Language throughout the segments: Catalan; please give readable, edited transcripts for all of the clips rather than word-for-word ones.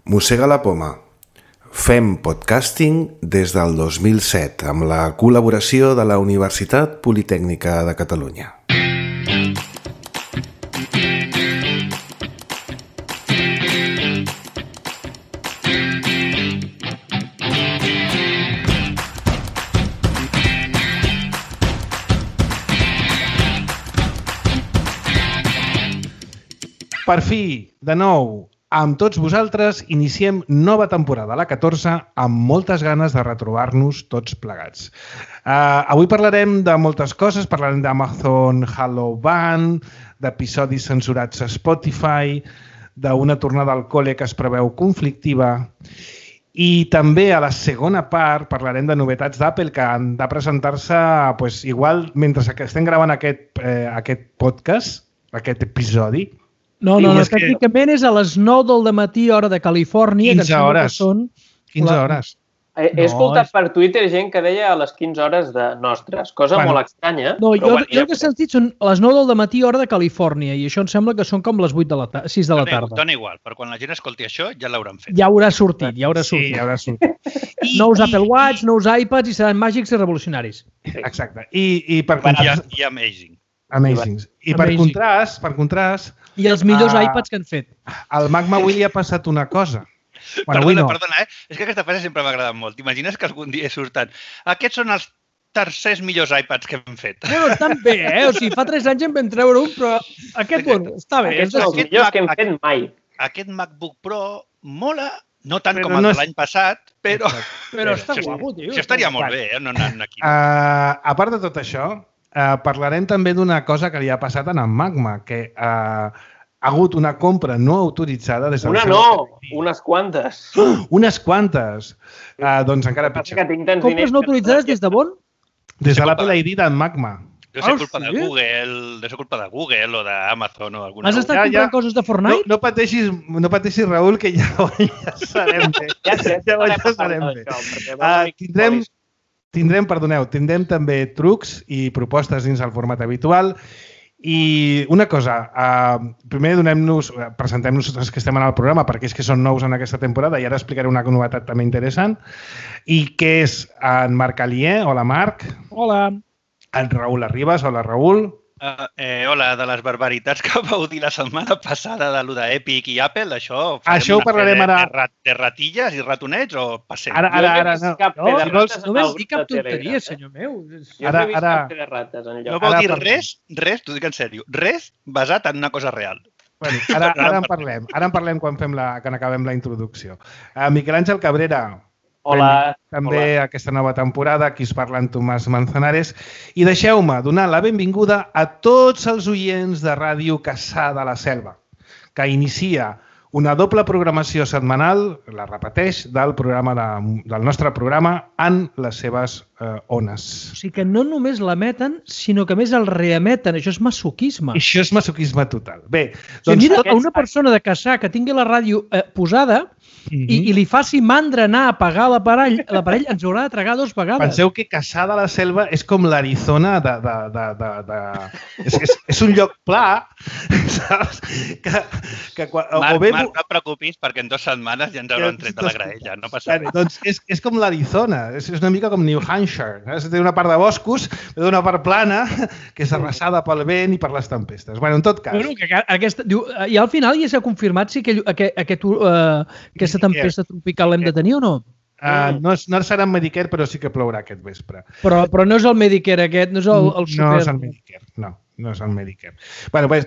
Mossega la poma. Fem podcasting des del 2007 amb la col·laboració de la Universitat Politècnica de Catalunya. Per fi, de nou, amb tots vosaltres, iniciem nova temporada, la 14, amb moltes ganes de retrobar-nos tots plegats. Avui parlarem de moltes coses, parlarem d'Amazon Halo Band, d'episodis censurats a Spotify, d'una tornada al col·le que es preveu conflictiva i també a la segona part parlarem de novetats d'Apple que han de presentar-se igual mentre que estem gravant aquest podcast, aquest episodi. No, tècnicament és a les 9 del matí, hora de Califòrnia. 15 hores. 15 hores. He escoltat per Twitter gent que deia a les 15 hores de nostres, cosa molt estranya. No, jo el que he sentit són a les 9 del matí, hora de Califòrnia, i això em sembla que són com les 6 de la tarda. Dona igual, però quan la gent escolti això ja l'hauran fet. Ja haurà sortit, Sí, ja haurà sortit. Nous Apple Watch, nous iPads i seran màgics i revolucionaris. Exacte. I per contrast... I amazing. Amazings. I per contrast... I els millors iPads que han fet. Al Mac Mawili ha passat una cosa. Perdona, és que aquesta frase sempre m'ha agradat molt. T'imagines que algun dia surten aquests són els tercers millors iPads que hem fet. Bueno, estan bé, O sigui, fa 3 anys en vam treure un, però aquest, està bé. Aquests són els millors que hem fet mai. Aquest MacBook Pro mola, no tant com el de l'any passat, però... Però està guapo, tio. Això estaria molt bé, no anant aquí. A part de tot això, parlarem també d'una cosa que li ha passat en Magma, que ha hagut una compra no autoritzada des del unes quantes. Unes quantes. Doncs encara pitjor. Compres no autoritzades des de on? Des de l'Apple ID d'en Magma. Deu ser culpa de Google o d'Amazon o alguna cosa. Has estat comprant coses de Fortnite? No pateixis, Raül, que ja sabem bé. Ja sabem bé. Tindrem també trucs i propostes dins el format habitual. I una cosa, primer presentem-nos els que estem en el programa perquè és que són nous en aquesta temporada i ara explicaré una novetat també interessant. I que és en Marc Alier. Hola, Marc. Hola. En Raül Arribas. Hola, Raül. Hola, de les barbaritats que vau dir la setmana passada de lo d'Epic i Apple, això ho parlarem ara. De ratilles i ratonets o passem? Ara, no. No vam dir cap tonteria, senyor meu. Jo no he vist cap de rates enlloc. No vau dir res, t'ho dic en sèrio, res basat en una cosa real. Ara en parlem quan acabem la introducció. Miquel Àngel Cabrera. Hola. També aquesta nova temporada, aquí us parla en Tomàs Manzanares. I deixeu-me donar la benvinguda a tots els oients de Ràdio Cassà de la Selva, que inicia una doble programació setmanal, la repeteix, del nostre programa en les seves ones. O sigui que no només l'emeten, sinó que a més el reemeten. Això és masoquisme. Això és masoquisme total. Bé, doncs... Mira, a una persona de Cassà que tingui la ràdio posada i li faci mandra anar a apagar l'aparell, ens haurà de tragar 2 vegades. Penseu que Cassà de la Selva és com l'Arizona És un lloc pla, saps? Marc, no et preocupis perquè en 2 setmanes ja ens hauran tret de la graella, no passa res. Doncs és com l'Arizona, és una mica com New Hampshire. Té una part de boscos, però una part plana, que és arrasada pel vent i per les tempestes. Bueno, en tot cas... I al final ja s'ha confirmat si aquesta tempesta tropical l'hem de tenir o no? No serà en Medicare, però sí que plourà aquest vespre. Però no és el Medicare aquest, no és el super... No és el Medicare, no és el Medicare.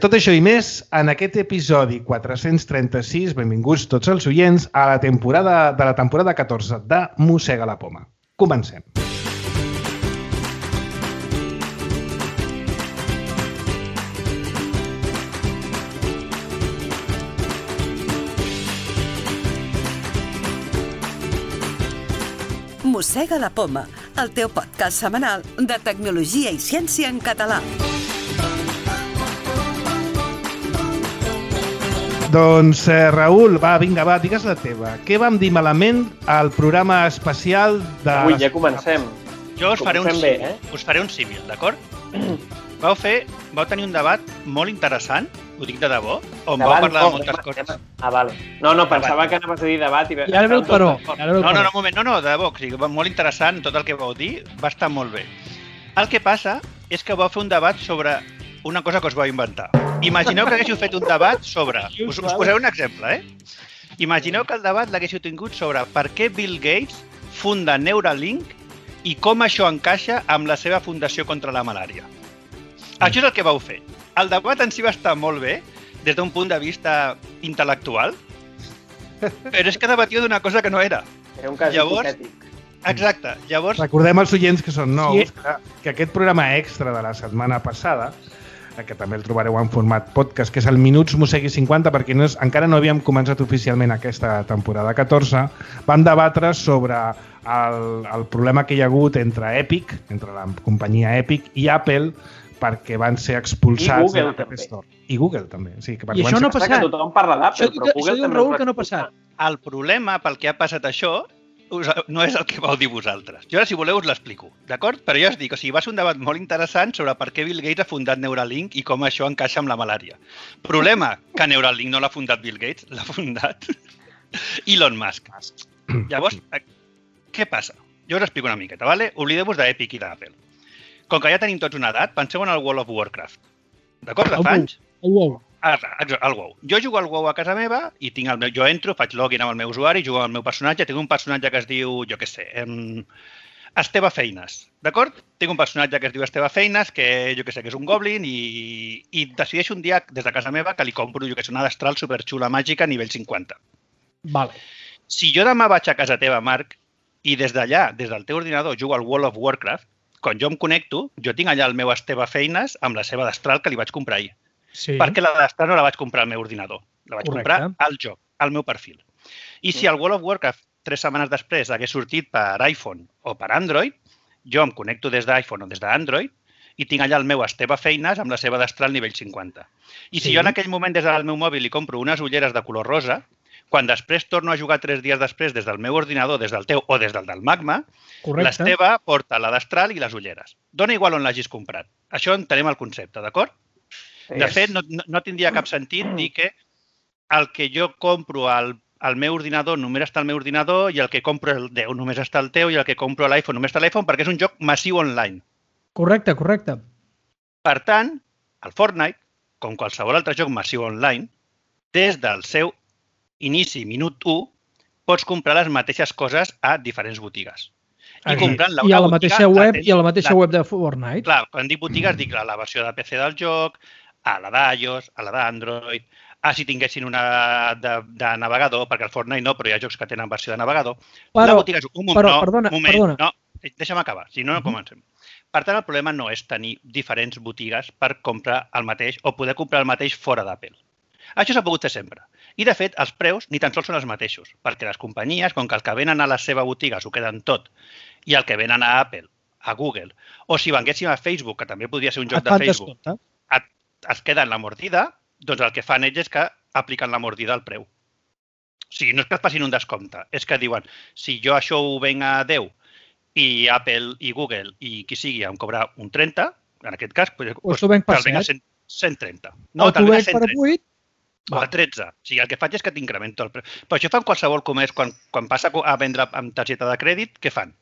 Tot això i més en aquest episodi 436, benvinguts tots els oients, a la temporada 14 de Mossega la poma. Comencem. Mossega la poma, el teu podcast setmanal de tecnologia i ciència en català. Doncs, Raül, vinga, digues la teva. Què vam dir malament al programa especial de... Avui ja comencem. Jo us faré un símil, d'acord? Vau tenir un debat molt interessant Ho dic de debò? On vau parlar de moltes coses? Vale. No, pensava que anaves a dir debat. I ara ve el però. No, un moment. No, de debò. O sigui, molt interessant tot el que vau dir. Va estar molt bé. El que passa és que vau fer un debat sobre una cosa que us vau inventar. Imagineu que haguéssiu fet un debat sobre... Us posaré un exemple, Imagineu que el debat l'haguéssiu tingut sobre per què Bill Gates funda Neuralink i com això encaixa amb la seva fundació contra la malària. Això és el que vau fer. El debat en si va estar molt bé, des d'un punt de vista intel·lectual, però és que debatiu d'una cosa que no era. Era un cas hipotètic. Exacte. Llavors... Recordem als oients que són nous que aquest programa extra de la setmana passada, que també el trobareu en format podcast, que és el Minuts Mosegui 50, perquè encara no havíem començat oficialment aquesta temporada 14, vam debatre sobre el problema que hi ha hagut entre Epic, entre la companyia Epic i Apple, perquè van ser expulsats de l'App Store. I Google també. Sí, I això no ha passat. Tothom parla d'Apple, però Google diu Raül que no ha passat. El problema pel que ha passat això no és el que vau dir vosaltres. Jo ara, si voleu, us l'explico, d'acord? Però ja us dic, va ser un debat molt interessant sobre per què Bill Gates ha fundat Neuralink i com això encaixa amb la malària. Problema, que Neuralink no l'ha fundat Bill Gates, l'ha fundat Elon Musk. Llavors, què passa? Jo us explico una miqueta, ¿vale? Oblideu-vos d'Epic i d'Apple. Com que ja tenim tots una edat, penseu en el World of Warcraft. D'acord? De fa anys? El WoW. El WoW. Jo jugo al WoW a casa meva i jo entro, faig login amb el meu usuari, jugo amb el meu personatge, tinc un personatge que es diu, jo què sé, Esteve Feines, d'acord? Tinc un personatge que es diu Esteve Feines, que jo què sé, que és un goblin i decideixo un dia des de casa meva que li compro, jo què sé, una destral superxula màgica a nivell 50. Vale. Si jo demà vaig a casa teva, Marc, i des d'allà, des del teu ordinador, jugo al World of Warcraft, quan jo em connecto, jo tinc allà el meu Esteve Feines amb la seva destral que li vaig comprar ahir. Sí. Perquè la destral no la vaig comprar al meu ordinador, la vaig comprar al joc, al meu perfil. I si el World of Warcraft 3 setmanes després hagués sortit per iPhone o per Android, jo em connecto des d'iPhone o des d'Android i tinc allà el meu Esteve Feines amb la seva destral nivell 50. I si jo en aquell moment des del meu mòbil li compro unes ulleres de color rosa, quan després torno a jugar 3 dies després des del meu ordinador, des del teu o des del Magma, l'Esteve porta la destral i les ulleres. Dona igual on l'hagis comprat. Això entenem el concepte, d'acord? De fet, no tindria cap sentit dir que el que jo compro al meu ordinador només està al meu ordinador i el que compro el teu només està al teu i el que compro a l'iPhone només està a l'iPhone perquè és un joc massiu online. Correcte. Per tant, el Fortnite, com qualsevol altre joc massiu online, des del seu inici, minut 1, pots comprar les mateixes coses a diferents botigues. I a la mateixa web de Fortnite. Clar, quan dic botigues dic la versió de PC del joc, a la d'iOS, a la d'Android, si tinguessin una de navegador, perquè el Fortnite no, però hi ha jocs que tenen versió de navegador. Perdona. No, deixa'm acabar, si no, no comencem. Per tant, el problema no és tenir diferents botigues per comprar el mateix o poder comprar el mateix fora d'Apple. Això s'ha pogut fer sempre. I, de fet, els preus ni tan sols són els mateixos, perquè les companyies, com que el que venen a la seva botiga s'ho queden tot, i el que venen a Apple, a Google, o si venguéssim a Facebook, que també podria ser un joc de Facebook, es queden la mordida, doncs el que fan ells és que apliquen la mordida al preu. O sigui, no és que es passin un descompte, és que diuen, si jo això ho venc a 10 i Apple i Google i qui sigui em cobra un 30, en aquest cas, doncs te'l venc per 130. No, te'l venc per 8. O a 13. O sigui, el que faig és que t'incremento el preu. Però això fan qualsevol comerç. Quan passa a vendre amb targeta de crèdit, què fan?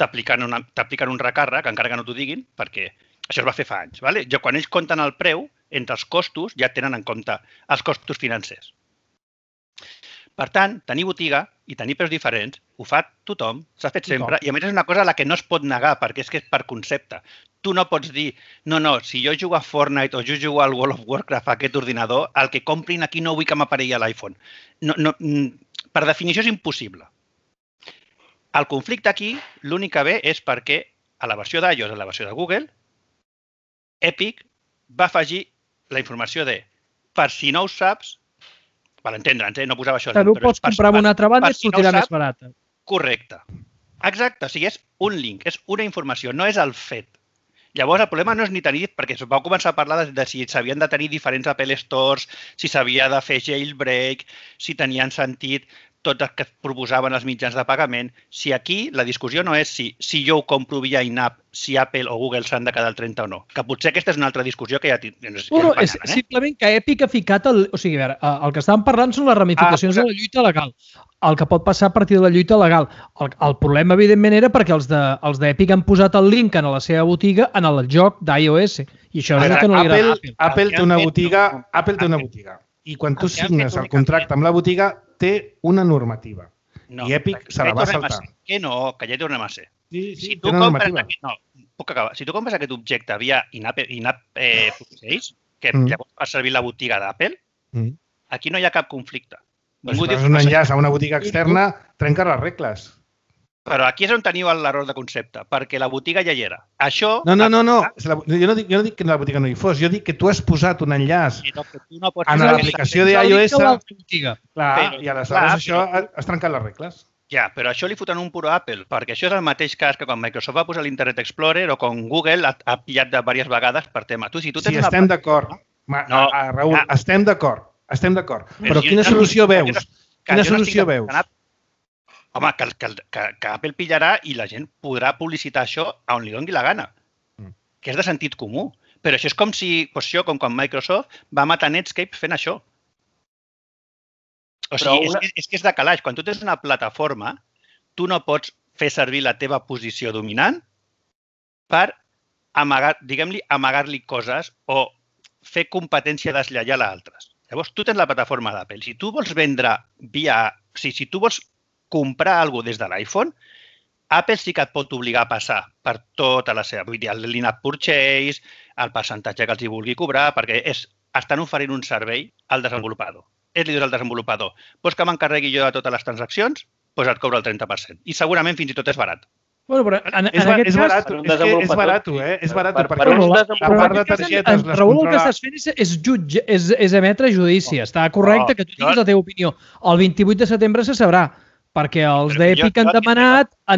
T'apliquen un recàrrec, encara que no t'ho diguin, perquè això es va fer fa anys. Vale? Quan ells compten el preu, entre els costos ja tenen en compte els costos financers. Per tant, tenir botiga i tenir preus diferents ho fa tothom, s'ha fet sempre, i a més és una cosa a la que no es pot negar, perquè és que és per concepte. Tu no pots dir, no, si jo jugo a Fortnite o jo jugo al World of Warcraft a aquest ordinador, el que comprin aquí no vull que m'aparegui a l'iPhone. Per definició és impossible. El conflicte aquí, l'únic que ve és perquè a la versió d'iOS, a la versió de Google, Epic va afegir la informació de, per si no ho saps, per entendre'ns, no posava això. Que no pots comprar una altra banda i et sortirà més barata. Correcte. Exacte, o sigui, és un link, és una informació, no és el fet. Llavors, el problema no és ni tenir, perquè es va començar a parlar de si s'havien de tenir diferents Apple Stores, si s'havia de fer jailbreak, si tenien sentit tot el que proposaven els mitjans de pagament. Si aquí la discussió no és si jo ho compro via in-app, si Apple o Google s'han de quedar al 30 o no. Que potser aquesta és una altra discussió que ja és simplement que Epic ha ficat... O sigui, a veure, el que estàvem parlant són les ramificacions de la lluita legal. El que pot passar a partir de la lluita legal. El problema, evidentment, era perquè els d'Epic han posat el link en la seva botiga en el joc d'iOS. I això és el que no li agrada a Apple. Apple té una botiga. I quan tu signes el contracte amb la botiga, té una normativa. I Epic se la va saltar. Que no, que ja hi tornem a ser. Sí, té una normativa. Puc acabar. Si tu compres aquest objecte via in-app purchase, que llavors fa servir la botiga d'Apple, aquí no hi ha cap conflicte. Si fas un enllaç a una botiga externa, trenques les regles. Però aquí és on teniu l'error de concepte, perquè la botiga ja hi era. Això... No. Jo no dic que la botiga no hi fos, jo dic que tu has posat un enllaç en l'aplicació d'iOS i aleshores això has trencat les regles. Ja, però això li foten un puro a Apple, perquè això és el mateix cas que quan Microsoft va posar l'Internet Explorer o quan Google ha pillat de diverses vegades per tema. Sí, estem d'acord. Raül, estem d'acord. Però quina solució veus? Quina solució veus? Home, que Apple pillarà i la gent podrà publicitar això on li doni la gana, que és de sentit comú. Però això és com com quan Microsoft va matar Netscape fent això. O sigui, és que és de calaix. Quan tu tens una plataforma, tu no pots fer servir la teva posició dominant per amagar-li coses o fer competència deslleial a altres. Llavors, tu tens la plataforma d'Apple. Si tu vols vendre si tu vols comprar alguna cosa des de l'iPhone, Apple sí que et pot obligar a passar per tota la seva... Vull dir, l'in-app purchase, el percentatge que els hi vulgui cobrar, perquè estan oferint un servei al desenvolupador. Li dius al desenvolupador, vols que m'encarregui jo de totes les transaccions? Doncs et cobra el 30%. I segurament fins i tot és barat. Bueno, però és barat, perquè a part de targetes les Raül, el que estàs fent és emetre judici. Està correcte que tu diguis la teva opinió. El 28 de setembre se sabrà, perquè els d'Epic han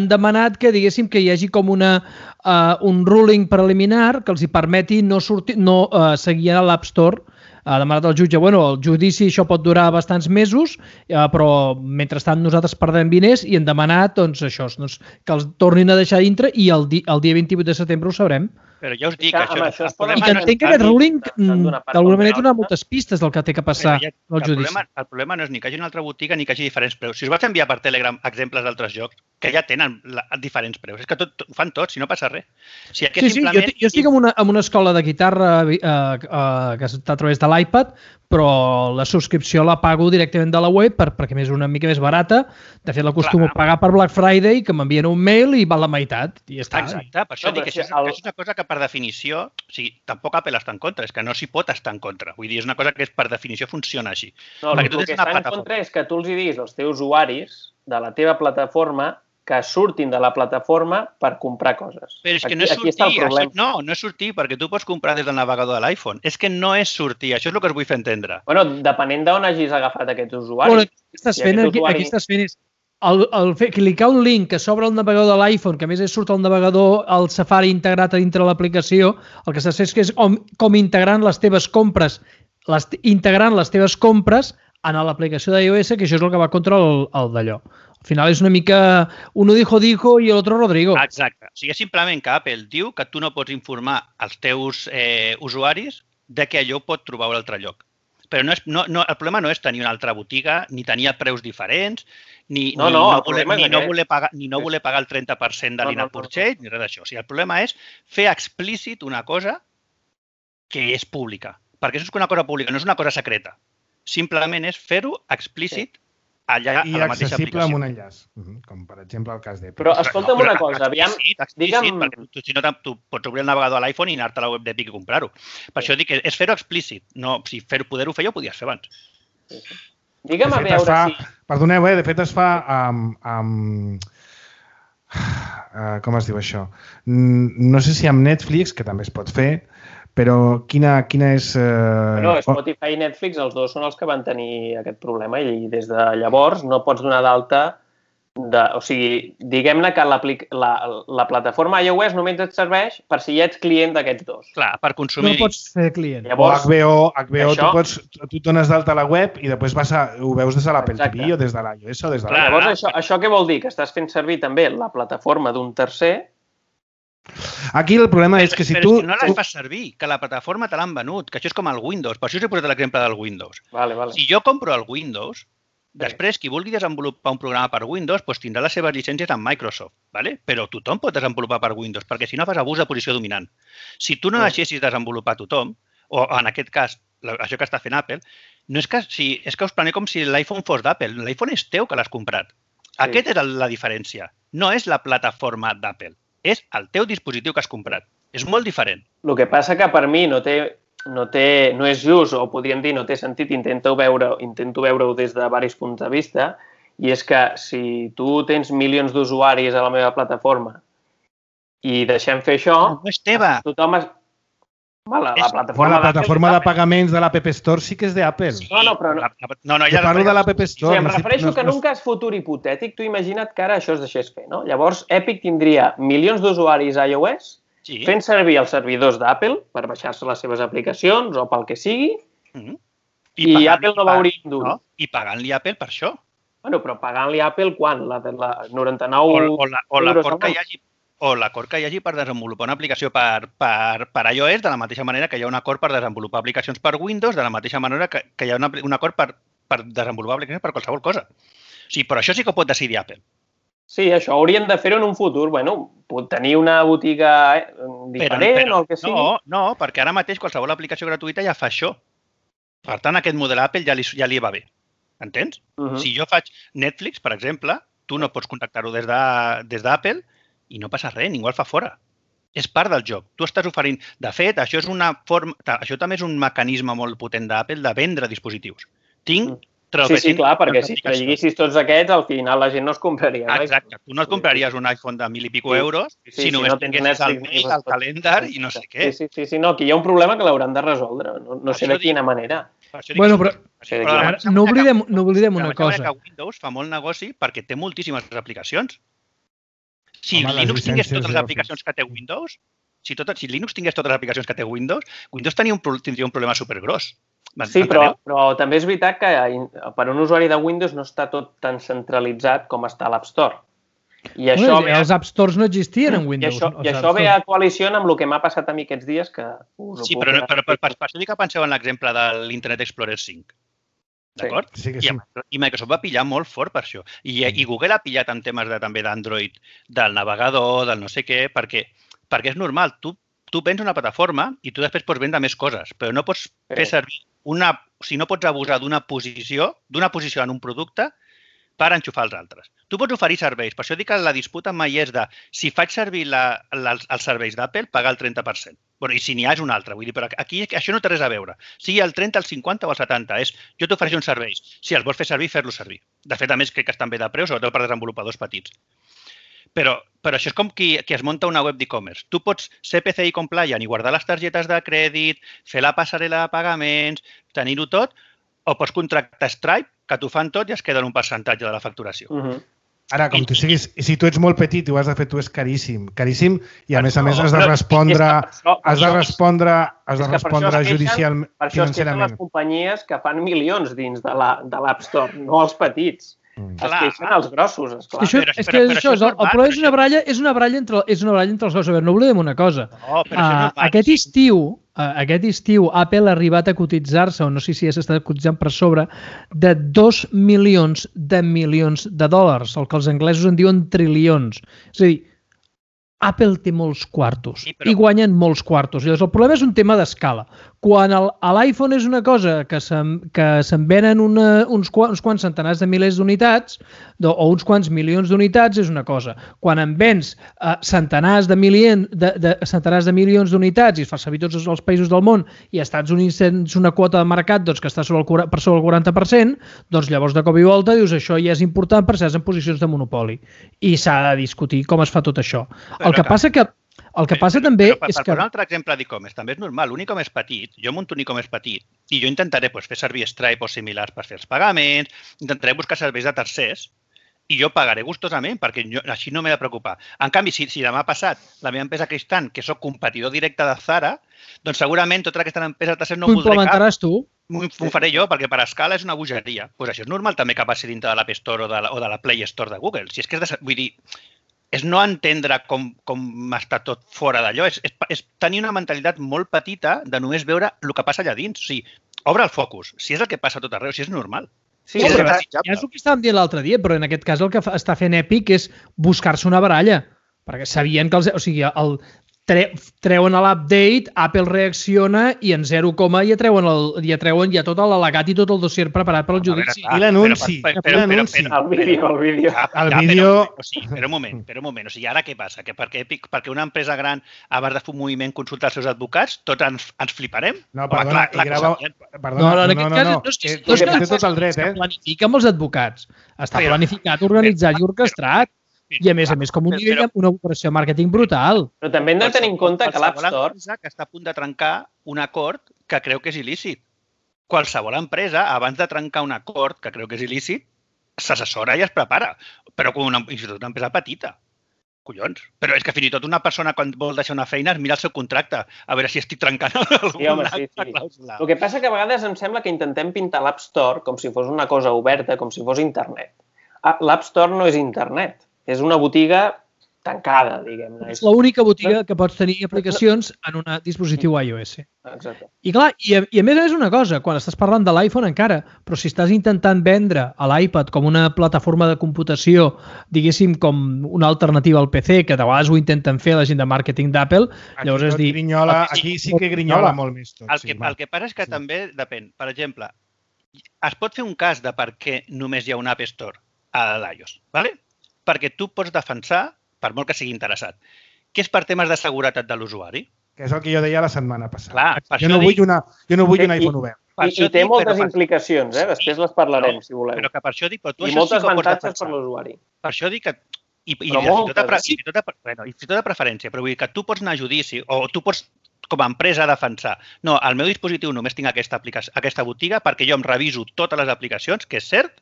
demanat que, diguéssim, que hi hagi com un ruling preliminar que els hi permeti no seguir a l'App Store. Ha demanat el jutge, el judici això pot durar bastants mesos, però mentrestant nosaltres perdem diners i hem demanat això, que els tornin a deixar dintre i el dia 28 de setembre ho sabrem. Però ja us dic que això... I que entenc que aquest ruling d'alguna manera dona moltes pistes del que té que passar al judici. El problema no és ni que hi hagi una altra botiga ni que hi hagi diferents preus. Si us vaig enviar per Telegram exemples d'altres jocs que ja tenen diferents preus, és que ho fan tots, si no passa res. Sí, jo estic en una escola de guitarra que està a través de l'iPad, però la subscripció la pago directament de la web perquè és una mica més barata. De fet, l'acostumo a pagar per Black Friday, que m'envien un mail i val la meitat. I ja està. Exacte, per això dic que això és una cosa que per definició, o sigui, tampoc Apple està en contra, és que no s'hi pot estar en contra. Vull dir, és una cosa que per definició funciona així. No, el que està en contra és que tu els diguis als teus usuaris de la teva plataforma que surtin de la plataforma per comprar coses. Però és que no és sortir. No és sortir, perquè tu pots comprar des del navegador de l'iPhone. És que no és sortir. Això és el que us vull fer entendre. Bueno, depenent d'on hagis agafat aquests usuaris. Aquí estàs fent és clicar un link que s'obre el navegador de l'iPhone, que a més surt el navegador, el Safari integrat a dintre de l'aplicació, el que estàs fent és com integrant les teves compres en l'aplicació d'iOS, que això és el que va contra el d'allò. Al final és una mica uno dijo i l'altre Rodrigo. Exacte. O sigui, és simplement que Apple diu que tu no pots informar als teus usuaris de que allò pot trobar un altre lloc. Però el problema no és tenir una altra botiga, ni tenir preus diferents, ni no voler pagar el 30% de l'in-app purchase, ni res d'això. O sigui, el problema és fer explícit una cosa que és pública. Perquè això és una cosa pública, no és una cosa secreta. Simplement és fer-ho explícit allà a la mateixa aplicació. I accessible amb un enllaç, com per exemple el cas d'Epic. Però escolta'm una cosa, aviam... Explícit, perquè si no tu pots obrir el navegador a l'iPhone i anar-te a la web d'Epic i comprar-ho. Per això dic que és fer-ho explícit. Si poder-ho fer ja ho podies fer abans. Digue'm a veure si... Perdoneu, de fet es fa com es diu això? No sé si amb Netflix, que també es pot fer, però quina és... Spotify i Netflix, els dos són els que van tenir aquest problema i des de llavors no pots donar d'alta o sigui, diguem-ne que la plataforma iOS només et serveix per si ja ets client d'aquests dos. Clar, per consumir. No pots fer client. Llavors, o HBO tu et dones d'alta a la web i després ho veus des de l'Apple TV o des de l'iOS o des de l'iPhone. Llavors, això què vol dir? Que estàs fent servir també la plataforma d'un tercer. Aquí el problema és que si tu... Però no la fas servir, que la plataforma te l'han venut, que això és com el Windows. Per això us he posat l'exemple del Windows. Vale. Si jo compro el Windows, després, qui vulgui desenvolupar un programa per Windows doncs tindrà les seves llicències amb Microsoft, ¿vale? Però tothom pot desenvolupar per Windows, perquè si no fas abús de posició dominant. Si tu no deixessis desenvolupar tothom, o en aquest cas, això que està fent Apple, no és que, és que us planeu com si l'iPhone fos d'Apple. L'iPhone és teu que l'has comprat. Aquesta és la diferència. No és la plataforma d'Apple, és el teu dispositiu que has comprat. És molt diferent. El que passa que per mi no és just, o podríem dir no té sentit, intento veure-ho des de diversos punts de vista, i és que si tu tens milions d'usuaris a la meva plataforma i deixem fer això... No és teva. Tothom es... La plataforma de pagaments de l'App Store sí que és d'Apple. No, però no. Jo parlo de l'App Store. Em refereixo que en un cas futur hipotètic, tu imagina't que ara això es deixés fer, no? Llavors, Epic tindria milions d'usuaris a iOS fent servir els servidors d'Apple per baixar-se les seves aplicacions o pel que sigui, i Apple no veuria un duro. I pagant-li a Apple per això. Bueno, però pagant-li a Apple quan? La 99 o l'acord que hi hagi per desenvolupar una aplicació per iOS de la mateixa manera que hi ha un acord per desenvolupar aplicacions per Windows, de la mateixa manera que hi ha un acord per desenvolupar aplicacions per qualsevol cosa. O sigui, però això sí que ho pot decidir Apple. Sí, això haurien de fer-ho en un futur. Bueno, pot tenir una botiga diferent o el que sigui. No, perquè ara mateix qualsevol aplicació gratuïta ja fa això. Per tant, aquest model Apple ja li va bé. Entens? Si jo faig Netflix, per exemple, tu no pots contactar-ho des d'Apple i no passa res, ningú el fa fora. És part del joc. Tu estàs oferint... De fet, això també és un mecanisme molt potent d'Apple de vendre dispositius. Sí, clar, perquè si traguessis tots aquests, al final la gent no es compraria. Exacte. Tu no et compraries un iPhone de 1.000 i pico euros si només tinguessis el mail, el calendar i no sé què. Sí, no, aquí hi ha un problema que l'hauran de resoldre. No sé de quina manera. Bueno, però no oblidem una cosa. Que Windows fa molt negoci perquè té moltíssimes aplicacions. Si Linux tingués totes les aplicacions que té Windows, si Linux tingués totes les aplicacions que té Windows tindria un problema supergros. Sí, però també és veritat que per un usuari de Windows no està tot tan centralitzat com està l'App Store. Els App Stores no existien en Windows. I això ve a coalició amb el que m'ha passat a mi aquests dies que... Sí, però per això dic que penseu en l'exemple de l'Internet Explorer 5. D'acord? Sí que sí. I Microsoft va pillar molt fort per això. I Google ha pillat en temes també d'Android, del navegador, del no sé què, perquè és normal. Tu vens una plataforma i tu després pots vendre més coses, però no pots fer servir no pots abusar d'una posició en un producte per enxufar els altres. Tu pots oferir serveis. Per això dic que la disputa mai és de si faig servir els serveis d'Apple, pagar el 30%. I si n'hi ha és un altre. Vull dir, però aquí això no té res a veure. Sigui el 30, el 50 o el 70. Jo t'ofereixo uns serveis. Si els vols fer servir, fer-los servir. De fet, a més, crec que estan bé de preu, sobretot per desenvolupadors petits. Però això és com qui es munta una web d'e-commerce. Tu pots ser PCI compliant i guardar les targetes de crèdit, fer la passarel·la de pagaments, tenir-ho tot, o pots contractar Stripe, que t'ho fan tot i es queda en un percentatge de la facturació. Ara, com tu siguis, si tu ets molt petit i ho has de fer tu és caríssim, i a més has de respondre judicialment, financerament. Per això es queixen les companyies que fan milions dins de l'App Store, no els petits. Es queixen els grossos, esclar. És que això, el problema és una baralla entre els dos. A veure, no oblidem una cosa. Aquest estiu Apple ha arribat a cotitzar-se, o no sé si s'està cotitzant per sobre, de 2 milions de dòlars, el que els anglesos en diuen trilions. És a dir, Apple té molts quartos i guanyen molts quartos. Llavors, el problema és un tema d'escala. Quan l'iPhone és una cosa que se'n venen uns quants centenars de milers d'unitats o uns quants milions d'unitats és una cosa. Quan en vens centenars de milions d'unitats i es fa servir tots els països del món i als Estats Units tens una quota de mercat que està per sobre el 40%, doncs llavors de cop i volta dius això ja és important per ser en posicions de monopoli. I s'ha de discutir com es fa tot això. El que passa també és que... Per un altre exemple d'e-commerce, també és normal. Un e-commerce petit, jo munto un e-commerce petit i jo intentaré fer servir Stripe o similars per fer els pagaments, intentaré buscar serveis de tercers i jo pagaré gustosament, perquè així no m'he de preocupar. En canvi, si demà passat la meva empresa creix tant, que sóc competidor directe de Zara, doncs segurament tota aquesta empresa tercera no Ho voldré cap. implementaràs tu? Ho faré jo, perquè per escala és una bogeria. Doncs això és normal també que passi dintre de l'App Store o de la Play Store de Google. Si és que vull dir, és no entendre com està tot fora d'allò. És tenir una mentalitat molt petita de només veure el que passa allà dins. O sigui, obre el focus. Si és el que passa a tot arreu, si és normal. Sí, Ja és és el que estàvem dient l'altre dia, però en aquest cas el que està fent Epic és buscar-se una baralla, perquè sabien que treuen l'update, Apple reacciona i en 0, ja treuen ja tot l'al·legat i tot el dossier preparat per al judici. I l'anunci. el vídeo. El vídeo... Però un moment. O sigui, ara què passa? Que perquè una empresa gran, abans de fer un moviment, consulta els seus advocats, tots ens fliparem? No, perdona, No, en aquest cas no és té tot el dret, planifica amb els advocats. Està planificat, organitzat i orquestrat. I a més, com un nivell, una operació de màrqueting brutal. Però també hem de tenir en compte que l'App Store... Qualsevol empresa que està a punt de trencar un acord que creu que és il·lícit. Qualsevol empresa, abans de trencar un acord que creu que és il·lícit, s'assessora i es prepara. Però com una empresa petita. Collons. Però és que fins i tot una persona, quan vol deixar una feina, es mira el seu contracte, a veure si estic trencant alguna clàusula. El que passa que a vegades em sembla que intentem pintar l'App Store com si fos una cosa oberta, com si fos internet. L'App Store no és internet. És una botiga tancada, diguem-ne. És l'única botiga que pots tenir aplicacions en un dispositiu iOS. Exacte. I clar, i a més una cosa, quan estàs parlant de l'iPhone encara, però si estàs intentant vendre a l'iPad com una plataforma de computació, diguéssim, com una alternativa al PC, que de vegades ho intenten fer la gent de màrqueting d'Apple, llavors és dir... Aquí sí que grinyola molt més tot. El que passa és que també depèn. Per exemple, es pot fer un cas de per què només hi ha un App Store a l'iOS, d'acord? Perquè tu pots defensar, per molt que sigui interessat, que és per temes de seguretat de l'usuari. Que és el que jo deia la setmana passada. Clar, jo no vull un iPhone obert. I té moltes implicacions, després les parlarem, si voleu. Però que per això dic... I moltes avantatges per l'usuari. Per això dic que... I fins i tot de preferència, però vull dir que tu pots anar a judici o tu pots com a empresa defensar. No, al meu dispositiu només tinc aquesta botiga perquè jo em reviso totes les aplicacions, que és cert,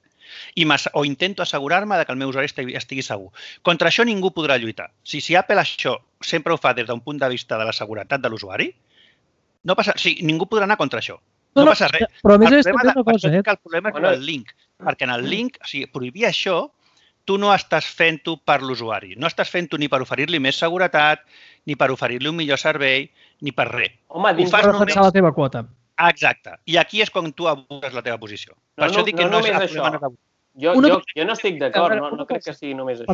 o intento assegurar-me que el meu usuari estigui segur. Contra això ningú podrà lluitar. Si Apple això sempre ho fa des d'un punt de vista de la seguretat de l'usuari, no passa, ningú podrà anar contra això. No passa res. Però a més és també una cosa, El problema és el link. Perquè en el link, prohibir això, tu no estàs fent-ho per l'usuari. No estàs fent-ho ni per oferir-li més seguretat, ni per oferir-li un millor servei, ni per res. Home, dins de defensar la teva quota. Exacte. I aquí és quan tu abuses la teva posició. Per això dic que no és això. Jo no estic d'acord, no crec que sigui només això.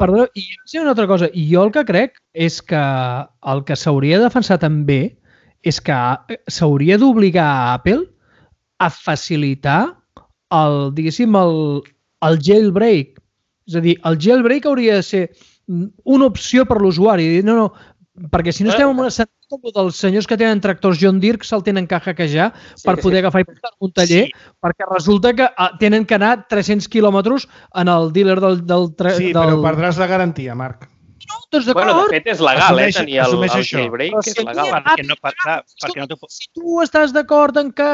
Perdoneu, i una altra cosa. I jo el que crec és que el que s'hauria de defensar també és que s'hauria d'obligar a Apple a facilitar el jailbreak. És a dir, el jailbreak hauria de ser una opció per l'usuari. No, perquè si no estem en una sentit com dels senyors que tenen tractors John Deere que se'l tenen que hackejar per poder agafar i portar un taller, perquè resulta que tenen que anar 300 quilòmetres en el dealer del... Sí, però perdràs la garantia, Marc. No, doncs d'acord. Bueno, de fet és legal, tenir el jailbreak, és legal. Si tu estàs d'acord en que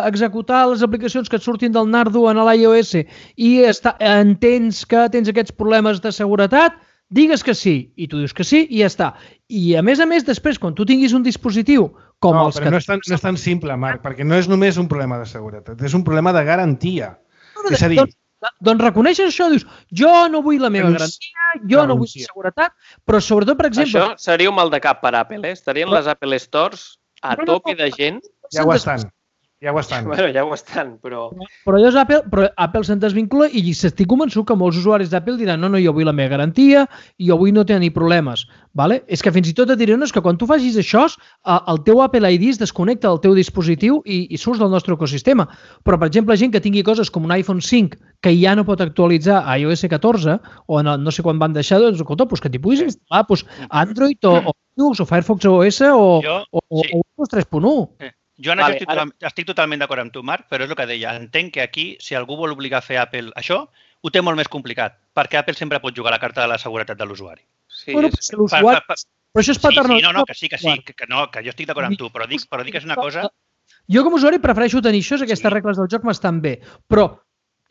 executar les aplicacions que et surtin del Nardo en l'iOS i entens que tens aquests problemes de seguretat, digues que sí, i tu dius que sí, i ja està. I a més, després, quan tu tinguis un dispositiu com els que... No, però no és tan simple, Marc, perquè no és només un problema de seguretat, és un problema de garantia. És a dir... Doncs reconeixes això, dius, jo no vull la meva garantia, jo no vull seguretat, però sobretot, per exemple... Això seria un mal de cap per Apple, Estarien les Apple Stores a tope de gent. Ja ho estan. Bueno, ja ho estan, però... Però Apple se'n desvincula i estic convençut que molts usuaris d'Apple diran no, jo vull la meva garantia i jo vull no tenir problemes. És que fins i tot et diré que quan tu facis això, el teu Apple ID es desconnecta del teu dispositiu i surts del nostre ecosistema. Però, per exemple, gent que tingui coses com un iPhone 5 que ja no pot actualitzar a iOS 14 o no sé quan van deixar, doncs, escolta, que t'hi puguis instal·lar Android o Linux o Firefox OS o Windows 3.1. Jo estic totalment d'acord amb tu, Marc, però és el que deia. Entenc que aquí, si algú vol obligar a fer Apple això, ho té molt més complicat, perquè Apple sempre pot jugar a la carta de la seguretat de l'usuari. Però això és paternal. Que jo estic d'acord amb tu, però dic que és una cosa... Jo com a usuari prefereixo tenir això, aquestes regles del joc m'estan bé, però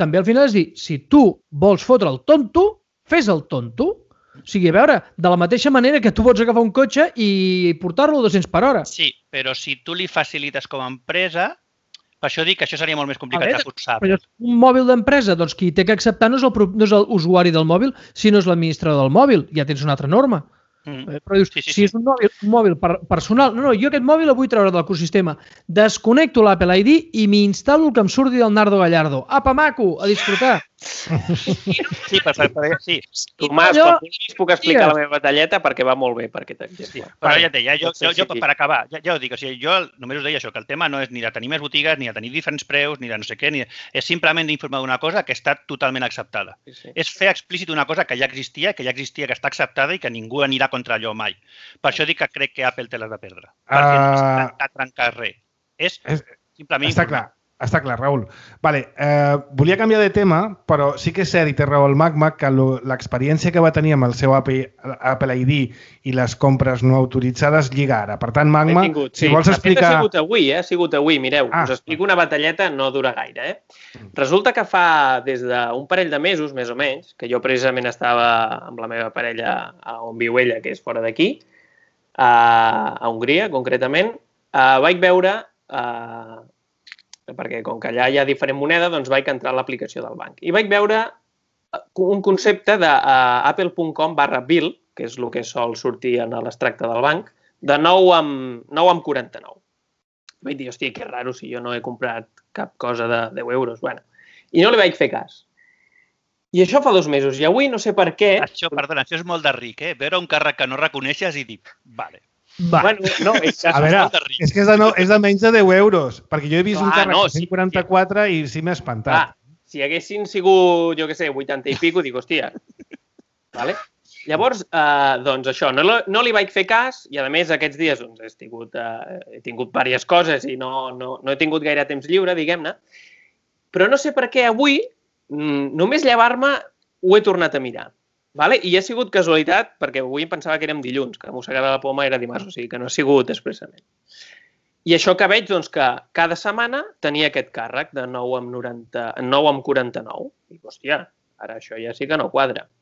també al final és dir, si tu vols fotre el tonto, fes el tonto. O sigui, a veure, de la mateixa manera que tu pots agafar un cotxe i portar-lo a 200 per hora. Sí, però si tu li facilites com a empresa, per això dic que això seria molt més complicat de forçar. Però un mòbil d'empresa, doncs qui té que acceptar no és l'usuari del mòbil, sinó és l'administrador del mòbil. Ja tens una altra norma. Però dius, si és un mòbil personal, no, jo aquest mòbil el vull treure de l'ecosistema, desconnecto l'Apple ID i m'instal·lo el que em surti del Nardo Gallardo. Apa, maco, a disfrutar. Sí, sí. Tomàs, quan vulguis puc explicar la meva batalleta perquè va molt bé per aquest exemple. Però ja et deia, jo per acabar, ja ho dic, o sigui, jo només us deia això, que el tema no és ni de tenir més botigues, ni de tenir diferents preus, ni de no sé què, és simplement d'informar d'una cosa que està totalment acceptada. És fer explícit una cosa que ja existia, que està acceptada i que ningú anirà contra allò mai. Per això dic que crec que Apple té les de perdre. Perquè no s'ha trencat res. És simplement informar. Està clar, Raül. Vale, volia canviar de tema, però sí que és cert, i té raó el Magma, que l'experiència que va tenir amb el seu Apple ID i les compres no autoritzades lliga ara. Per tant, Magma, si vols explicar... Ha sigut avui, mireu. Us explico una batalleta, no dura gaire. Resulta que fa des d'un parell de mesos, més o menys, que jo precisament estava amb la meva parella on viu ella, que és fora d'aquí, a Hongria, concretament, vaig veure... perquè com que allà hi ha diferent moneda, doncs vaig entrar a l'aplicació del banc. I vaig veure un concepte d'apple.com/bill, que és el que sol sortir en l'extracte del banc, de 9,49. Vaig dir, hòstia, que raro si jo no he comprat cap cosa de 10 euros. Bueno, i no li vaig fer cas. I això fa 2 mesos. I avui no sé per què... Perdona, això és molt de ric, veure un càrrec que no reconeixes i dir, vale. Bueno, no, a veure, és que és de menys de 10 euros, perquè jo he vist un càrrec de 144 i sí m'he espantat. Si haguessin sigut, jo què sé, 80 i pico, dic, hòstia. Vale? Llavors, doncs això, no li vaig fer cas i a més aquests dies he tingut diverses coses i no he tingut gaire temps lliure, diguem-ne, però no sé per què avui, només llevar-me, ho he tornat a mirar. Vale? I ha sigut casualitat, perquè avui em pensava que érem dilluns, que mossegava la poma era dimarts, o sigui que no ha sigut expressament. I això que veig, doncs, que cada setmana tenia aquest càrrec de 9,49. Dic, hòstia, ara això ja sí que no quadra.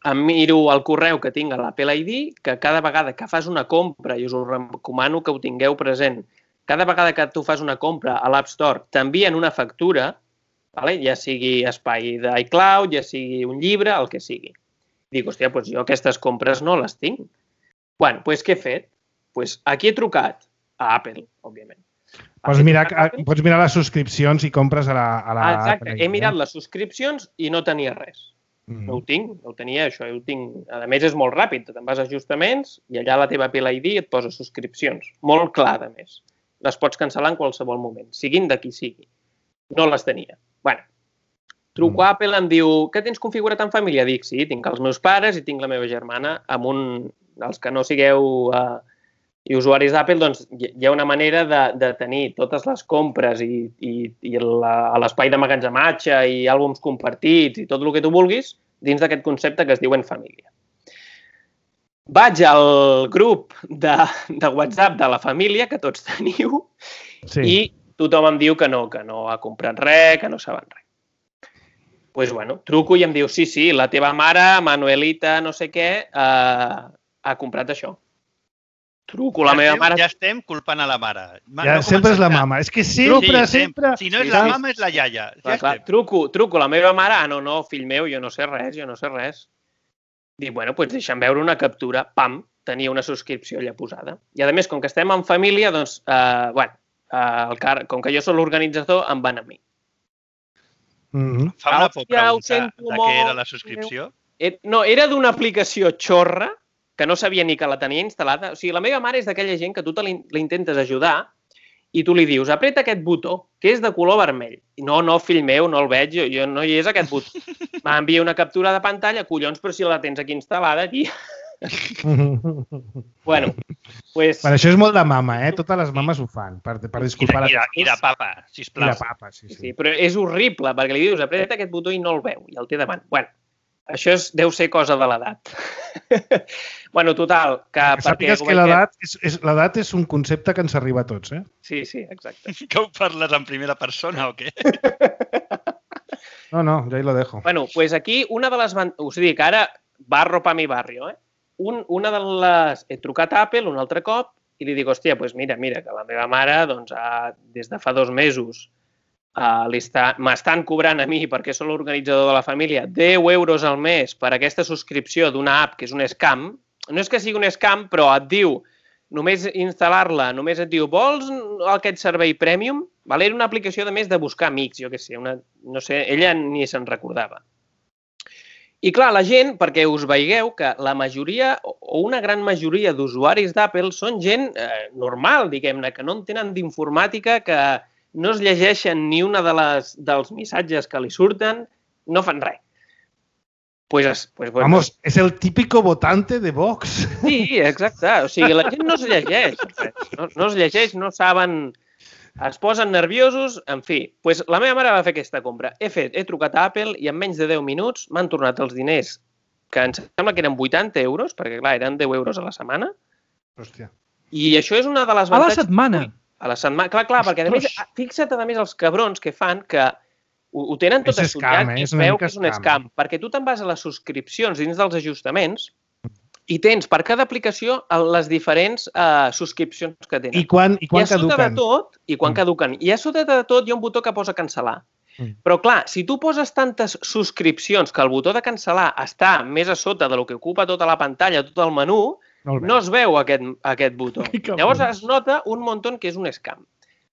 Em miro el correu que tinc a l'Apple ID, que cada vegada que fas una compra, i us ho recomano que ho tingueu present, cada vegada que tu fas una compra a l'App Store t'envien una factura, ja sigui espai d'iCloud, ja sigui un llibre, el que sigui. Dic, hòstia, doncs jo aquestes compres no les tinc. Bueno, doncs què he fet? Doncs aquí he trucat a Apple, òbviament. Pots mirar les subscripcions i compres a la... Exacte, he mirat les subscripcions i no tenia res. No ho tinc, no ho tenia, això ho tinc. A més, és molt ràpid, te'n vas a ajustaments i allà a la teva Apple ID et posa subscripcions. Molt clar, a més. Les pots cancel·lar en qualsevol moment, siguin de qui sigui. No les tenia. Bueno, truco a Apple, em diu, què tens configurat en família? Dic, sí, tinc els meus pares i tinc la meva germana. Els que no sigueu usuaris d'Apple, doncs hi ha una manera de tenir totes les compres i l'espai d'emmagatzematge i àlbums compartits i tot el que tu vulguis dins d'aquest concepte que es diu en família. Vaig al grup de WhatsApp de la família, que tots teniu, i tothom em diu que no ha comprat res, que no saben res. Doncs, bueno, truco i em diu, sí, la teva mare, Manuelita, no sé què, ha comprat això. Truco la meva mare... Ja estem culpant a la mare. Sempre és la mama. És que sempre... Si no és la mama, és la iaia. Truco la meva mare, no, fill meu, jo no sé res. Dic, bueno, doncs deixa'm veure una captura. Pam, tenia una subscripció allà posada. I a més, com que estem en família, doncs, com que jo soc l'organitzador, em van a mi. Fa una por preguntar de què era la subscripció? No, era d'una aplicació xorra que no sabia ni que la tenia instal·lada. O sigui, la meva mare és d'aquella gent que tu l'intentes ajudar i tu li dius, apreta aquest botó, que és de color vermell. No, fill meu, no el veig, jo no hi és aquest botó. M'envia una captura de pantalla, collons, però si la tens aquí instal·lada, aquí... Bueno, pues... Això és molt de mama, Totes les mames ho fan, per disculpar... I de papa, sisplau. I de papa, sí. Però és horrible, perquè li dius, apreta aquest botó i no el veu, i el té davant. Bueno, això deu ser cosa de l'edat. Bueno, total, que... Sàpigues que l'edat és un concepte que ens arriba a tots, Sí, exacte. Que ho parles en primera persona o què? No, ya ahí lo dejo. Bueno, pues aquí una de les... Us dic, ara, barro pa mi barrio, Una de les... He trucat a Apple un altre cop i li dic, hòstia, doncs mira, que la meva mare, doncs, des de fa 2 mesos m'estan cobrant a mi, perquè sóc l'organitzador de la família, 10 euros al mes per aquesta subscripció d'una app que és un scam. No és que sigui un scam, però et diu, només instal·lar-la, només et diu, vols aquest servei premium? Era una aplicació, de més, de buscar amics, jo què sé, no sé, ella ni se'n recordava. I clar, la gent, perquè us veigueu que la majoria, o una gran majoria d'usuaris d'Apple són gent normal, diguem-ne, que no en tenen d'informàtica, que no es llegeixen ni una dels missatges que li surten, no fan res. Vamos, és el típico votante de Vox. Sí, exacte. O sigui, la gent no es llegeix. No es llegeix, no saben... Es posen nerviosos, en fi. La meva mare va fer aquesta compra. He trucat a Apple i en menys de 10 minuts m'han tornat els diners, que em sembla que eren 80 euros, perquè clar, eren 10 euros a la setmana. Hòstia. I això és una de les avantatges... A la setmana? A la setmana, clar, perquè a més, fixa't a més els cabrons que fan que ho tenen tot estudiat i es veu que és un scam, perquè tu te'n vas a les subscripcions dins dels ajustaments i tens per cada aplicació les diferents subscripcions que tenen. I quan caduquen? I quan caduquen. I a sota de tot hi ha un botó que posa cancel·lar. Però clar, si tu poses tantes subscripcions que el botó de cancel·lar està més a sota del que ocupa tota la pantalla, tot el menú, no es veu aquest botó. Llavors es nota un munt que és un scam.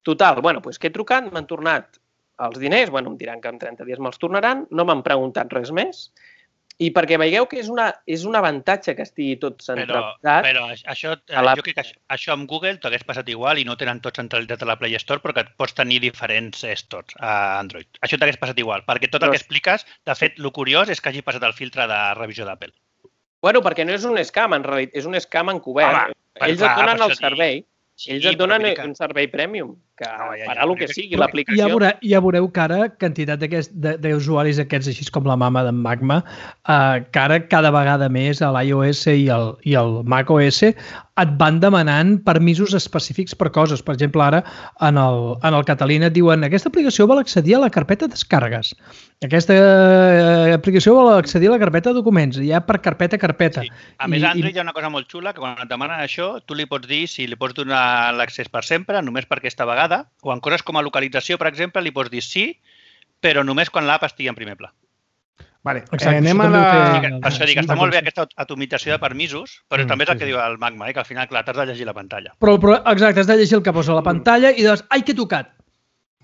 Total, que he trucat, m'han tornat els diners, em diran que en 30 dies me'ls tornaran, no m'han preguntat res més, i perquè veieu que és un avantatge que estigui tot centralitzat. Però jo crec que això amb Google t'hagués passat igual i no tenen tot centralitzat a la Play Store, però que pots tenir diferents stores a Android. Això t'hagués passat igual, perquè tot el que expliques, de fet, el curiós és que hagi passat el filtre de revisió d'Apple. Bueno, perquè no és un scam, en realitat, és un scam encobert. Ells et donen el servei. Ells et donen un servei premium, que farà el que sigui, l'aplicació. Ja veureu que ara, quantitat d'usuaris aquests, així com la mama d'en Magma, que ara cada vegada més a l'iOS i el macOS et van demanant permisos específics per coses. Per exemple, ara en el Catalina et diuen aquesta aplicació vol accedir a la carpeta descàrregues. Aquesta aplicació vol accedir a la carpeta documents, ja per carpeta a carpeta. A més, a Android hi ha una cosa molt xula, que quan et demanen això, tu li pots dir si li pots donar l'accés per sempre, només per aquesta vegada, o en coses com a localització, per exemple, li pots dir sí, però només quan l'app estigui en primer pla. Vale, anem a la... Per això dic, està molt bé aquesta atomització de permisos, però també és el que diu el Magma, que al final, clar, t'has de llegir la pantalla. Però exacte, has de llegir el que posa a la pantalla i dius, ai, que he tocat.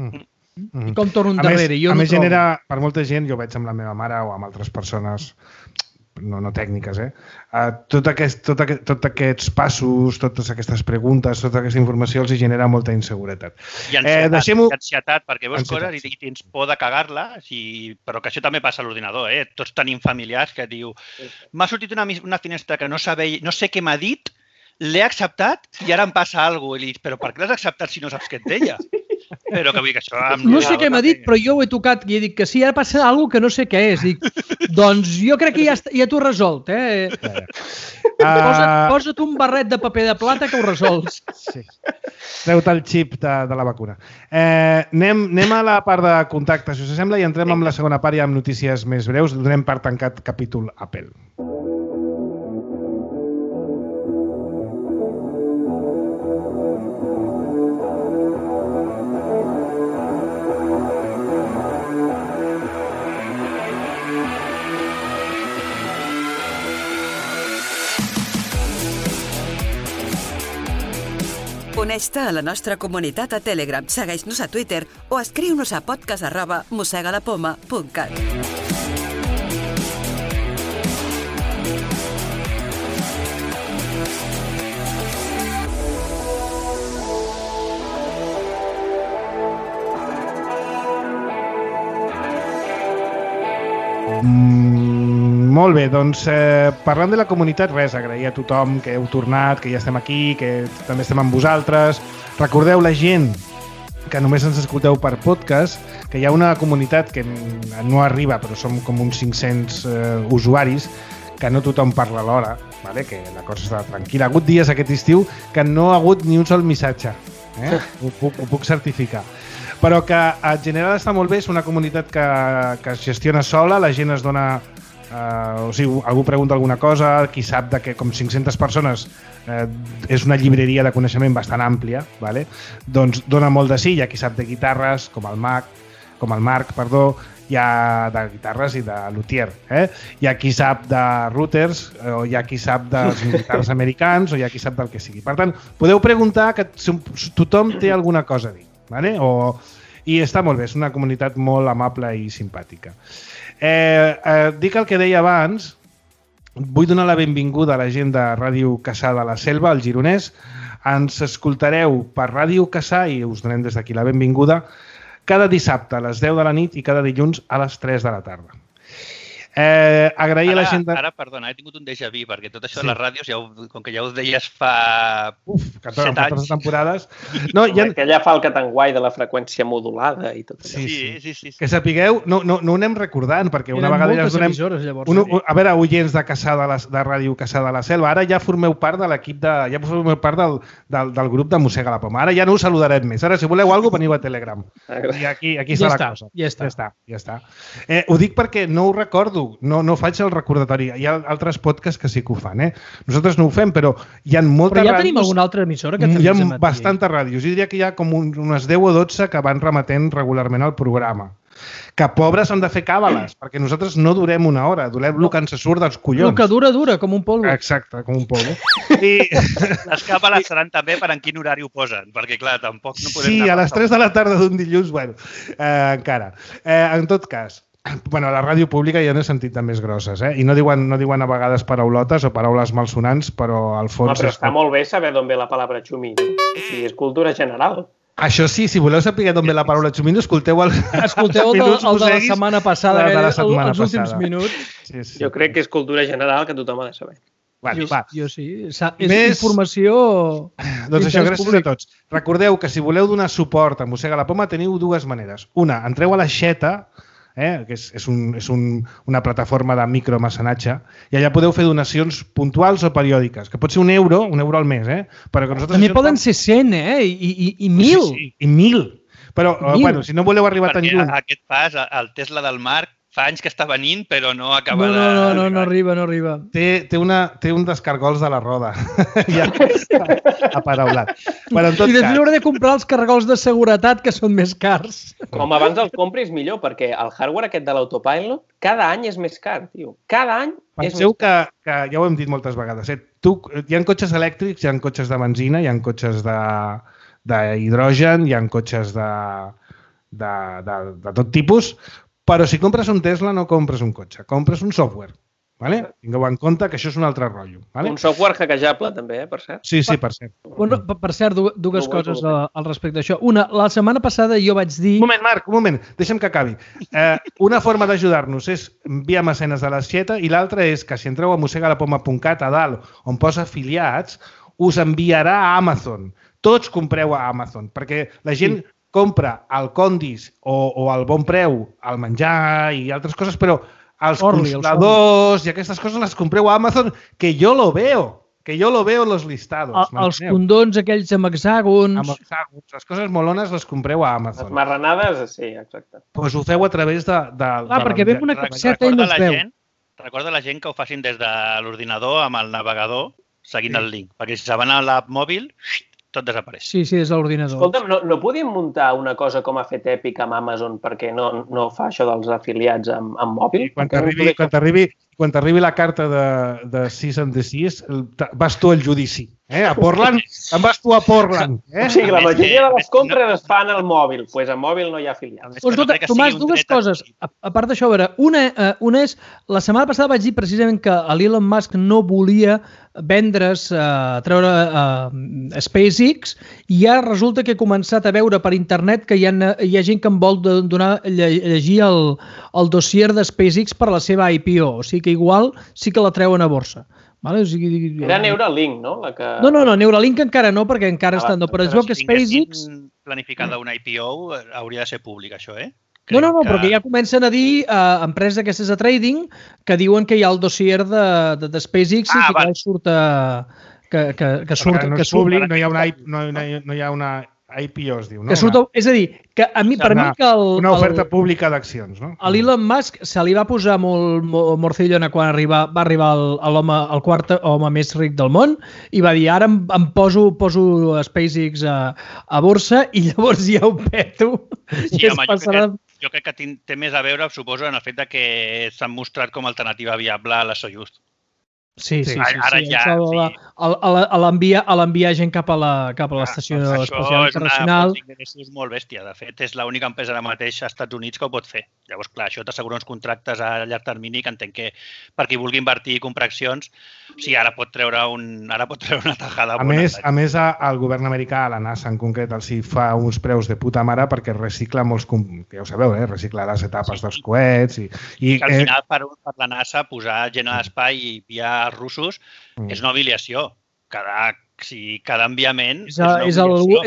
I com torno endarrere. A més, genera, per molta gent, jo veig amb la meva mare o amb altres persones no tècniques, tots aquests passos, totes aquestes preguntes, tota aquesta informació els genera molta inseguretat. I ansietat, perquè veus coses i tens por de cagar-la, però que això també passa a l'ordinador. Tots tenim familiars que diu m'ha sortit una finestra que no sé què m'ha dit, l'he acceptat i ara em passa alguna cosa. Però per què l'has acceptat si no saps què et deia? Però que vull dir que això... No sé què m'ha dit, però jo ho he tocat i he dit que sí, ara passa alguna cosa que no sé què és. Dic, doncs jo crec que ja t'ho he resolt. Posa't un barret de paper de plata que ho resols. Sí. Treu-te el xip de la vacuna. Anem a la part de contacte, si us sembla, i entrem amb la segona part ja amb notícies més breus. Donem per tancat capítol Apple. Uneix-te a la nostra comunitat a Telegram, segueix-nos a Twitter o escriu-nos a podcast@mossegalapoma.cat. Molt bé, doncs parlant de la comunitat, res, agrair a tothom que heu tornat, que ja estem aquí, que també estem amb vosaltres. Recordeu, la gent que només ens escolteu per podcast, que hi ha una comunitat que no arriba, però som com uns 500 usuaris, que no tothom parla alhora, vale? Que la cosa està tranquil·la. Ha hagut dies aquest estiu que no ha hagut ni un sol missatge, ho puc certificar. Però que en general està molt bé, és una comunitat que es gestiona sola, la gent es dona... o sigui, algú pregunta alguna cosa, qui sap de que com 500 persones és una llibreria de coneixement bastant àmplia, vale? Doncs dona molt de sí, hi ha qui sap de guitarres, com el Marc, hi ha de guitarres i de luthier, hi ha qui sap de routers, o hi ha qui sap dels guitarres americans, o hi ha qui sap del que sigui. Per tant, podeu preguntar que tothom té alguna cosa a dir, vale? I està molt bé, és una comunitat molt amable i simpàtica. Dic el que deia abans, vull donar la benvinguda a la gent de Ràdio Cassà de la Selva, al Gironès. Ens escoltareu per Ràdio Cassà i us donem des d'aquí la benvinguda cada dissabte a les 10 de la nit i cada dilluns a les 3 de la tarda. Agrair a la gent... Ara, perdona, he tingut un déjà vu, perquè tot això de les ràdios, com que ja ho deies fa 7 anys... temporades... Que ja fa el catanguai de la freqüència modulada i tot això. Sí. Que sapigueu, no ho anem recordant, perquè una vegada ja us donem... A veure, oients de Ràdio Cassà de la Selva, ara ja formeu part de l'equip ja formeu part del grup de Mossega la Poma. Ara ja no us saludarem més. Ara, si voleu alguna cosa, veniu a Telegram. I aquí està la cosa. Ja està. Ho dic perquè no ho recordo, no faig el recordatori. Hi ha altres podcasts que sí que ho fan. Nosaltres no ho fem, però hi ha moltes ràdios... Però ja tenim alguna altra emissora que hi ha bastantes ràdios. Jo diria que hi ha com unes 10 o 12 que van remetent regularment al programa. Que pobres han de fer càbales, perquè nosaltres no durem una hora, durem el que ens surt dels collons. El que dura, com un polvo. Exacte, com un polvo. Les càbales seran també per en quin horari ho posen, perquè clar, tampoc no podem... Sí, a les 3 de la tarda d'un dilluns, bueno, encara. En tot cas, bueno, a la ràdio pública ja n'he sentit de més grosses, i no diuen a vegades paraulotes o paraules malsonants, però al fons... Però està molt bé saber d'on ve la paraula xumí. O sigui, és cultura general. Això sí, si voleu saber d'on ve la paraula xumino, escolteu el de la setmana passada, els últims minuts. Sí. Jo crec que és cultura general que tothom ha de saber. Jo sí. És informació... Doncs això, gràcies a tots. Recordeu que si voleu donar suport a Mossega la Poma teniu dues maneres. Una, entreu a la Xeta, que és una plataforma de micromecenatge, i allà podeu fer donacions puntuals o periòdiques, que pot ser €1 al mes, però que nosaltres... També poden ser 100, i 1.000. Sí, i 1.000. Però, bueno, si no voleu arribar tan lluny... Perquè aquest pas, el Tesla del Marc, fa anys que està venint, però no acaba de... No arriba. Té un descargols de la roda. Ja aparaulat. Bueno, I després hauré de comprar els cargols de seguretat, que són més cars. Com abans els compris, millor, perquè el hardware aquest de l'autopilot cada any és més car, tio. Cada any és més car. Penseu que ja ho hem dit moltes vegades, hi ha cotxes elèctrics, hi ha cotxes de benzina, hi ha cotxes d'hidrogen, hi ha cotxes de tot tipus, però si compres un Tesla no compres un cotxe, compres un software. Vale? Tingueu en compte que això és un altre rotllo. Vale? Un software hackejable, també, per cert. Sí, per cert. Bueno, per cert, dues coses al respecte d'això. Una, la setmana passada jo vaig dir... Un moment, Marc, un moment, deixa'm que acabi. Una forma d'ajudar-nos és via mecenes de la Xeta i l'altra és que si entreu a mossegalapoma.cat a dalt on posa afiliats, us enviarà a Amazon. Tots compreu a Amazon, perquè la gent... compra el Condis o el Bon Preu, el menjar i altres coses, però els consoladors i aquestes coses les compreu a Amazon, que jo lo veo en los listados. Els condons aquells amb hexàgons. Amb hexàgons. Les coses molones les compreu a Amazon. Les marranades, sí, exacte. Doncs ho feu a través de... perquè ve una capseta i no es veu. Recorda la gent que ho facin des de l'ordinador amb el navegador seguint el link, perquè si se van a l'app mòbil... tot desapareix. Sí, des de l'ordinador. Escolta'm, no podíem muntar una cosa com ha fet Epic amb Amazon perquè no fa això dels afiliats amb mòbil? Quan t'arribi la carta de Cease and Desist, vas tu al judici. A Portland, te'n vas tu a Portland. O sigui, la majoria de les compres es fan al mòbil. Doncs al mòbil no hi ha afiliats. Escolta, Tomàs, dues coses. A part d'això, a veure, una és, la setmana passada vaig dir precisament que l'Elon Musk no volia vendre's, treure SpaceX, i ja resulta que he començat a veure per internet que hi ha gent que em vol llegir el dossier de SpaceX per a la seva IPO, o sigui que igual sí que la treuen a borsa. Vale? O sigui, era Neuralink, no? No, Neuralink encara no, perquè encara està... Però es veu que SpaceX... Si planificada una IPO, hauria de ser públic, això, No, però que ja comencen a dir empreses aquestes de trading que diuen que hi ha el dossier de SpaceX i que surt... Que no és públic, no hi ha una IPO es diu, no? És a dir, que a mi, per mi que una oferta pública d'accions, no? A l'Elon Musk se li va posar molt morcillona quan va arribar el quart home més ric del món i va dir, ara em poso SpaceX a borsa i llavors ja ho peto. Sí, home, jo crec que té més a veure, suposo, en el fet que s'han mostrat com a alternativa viable a la Soyuz. Sí. Ara ja... A l'enviar gent cap a l'estació espacial internacional. Això és una font d'ingressos molt bèstia. De fet, és l'única empresa ara mateix als Estats Units que ho pot fer. Llavors, clar, això t'assegura uns contractes a llarg termini que entenc que per qui vulgui invertir i comprar accions, ara pot treure una tajada. A més, el govern americà, a la NASA en concret, els hi fa uns preus de puta mare perquè recicla molts... Ja ho sabeu, recicla les etapes dels coets i al final, per la NASA, posar gent a l'espai i enviar els russos és una humiliació. Cada enviament és l'orgull.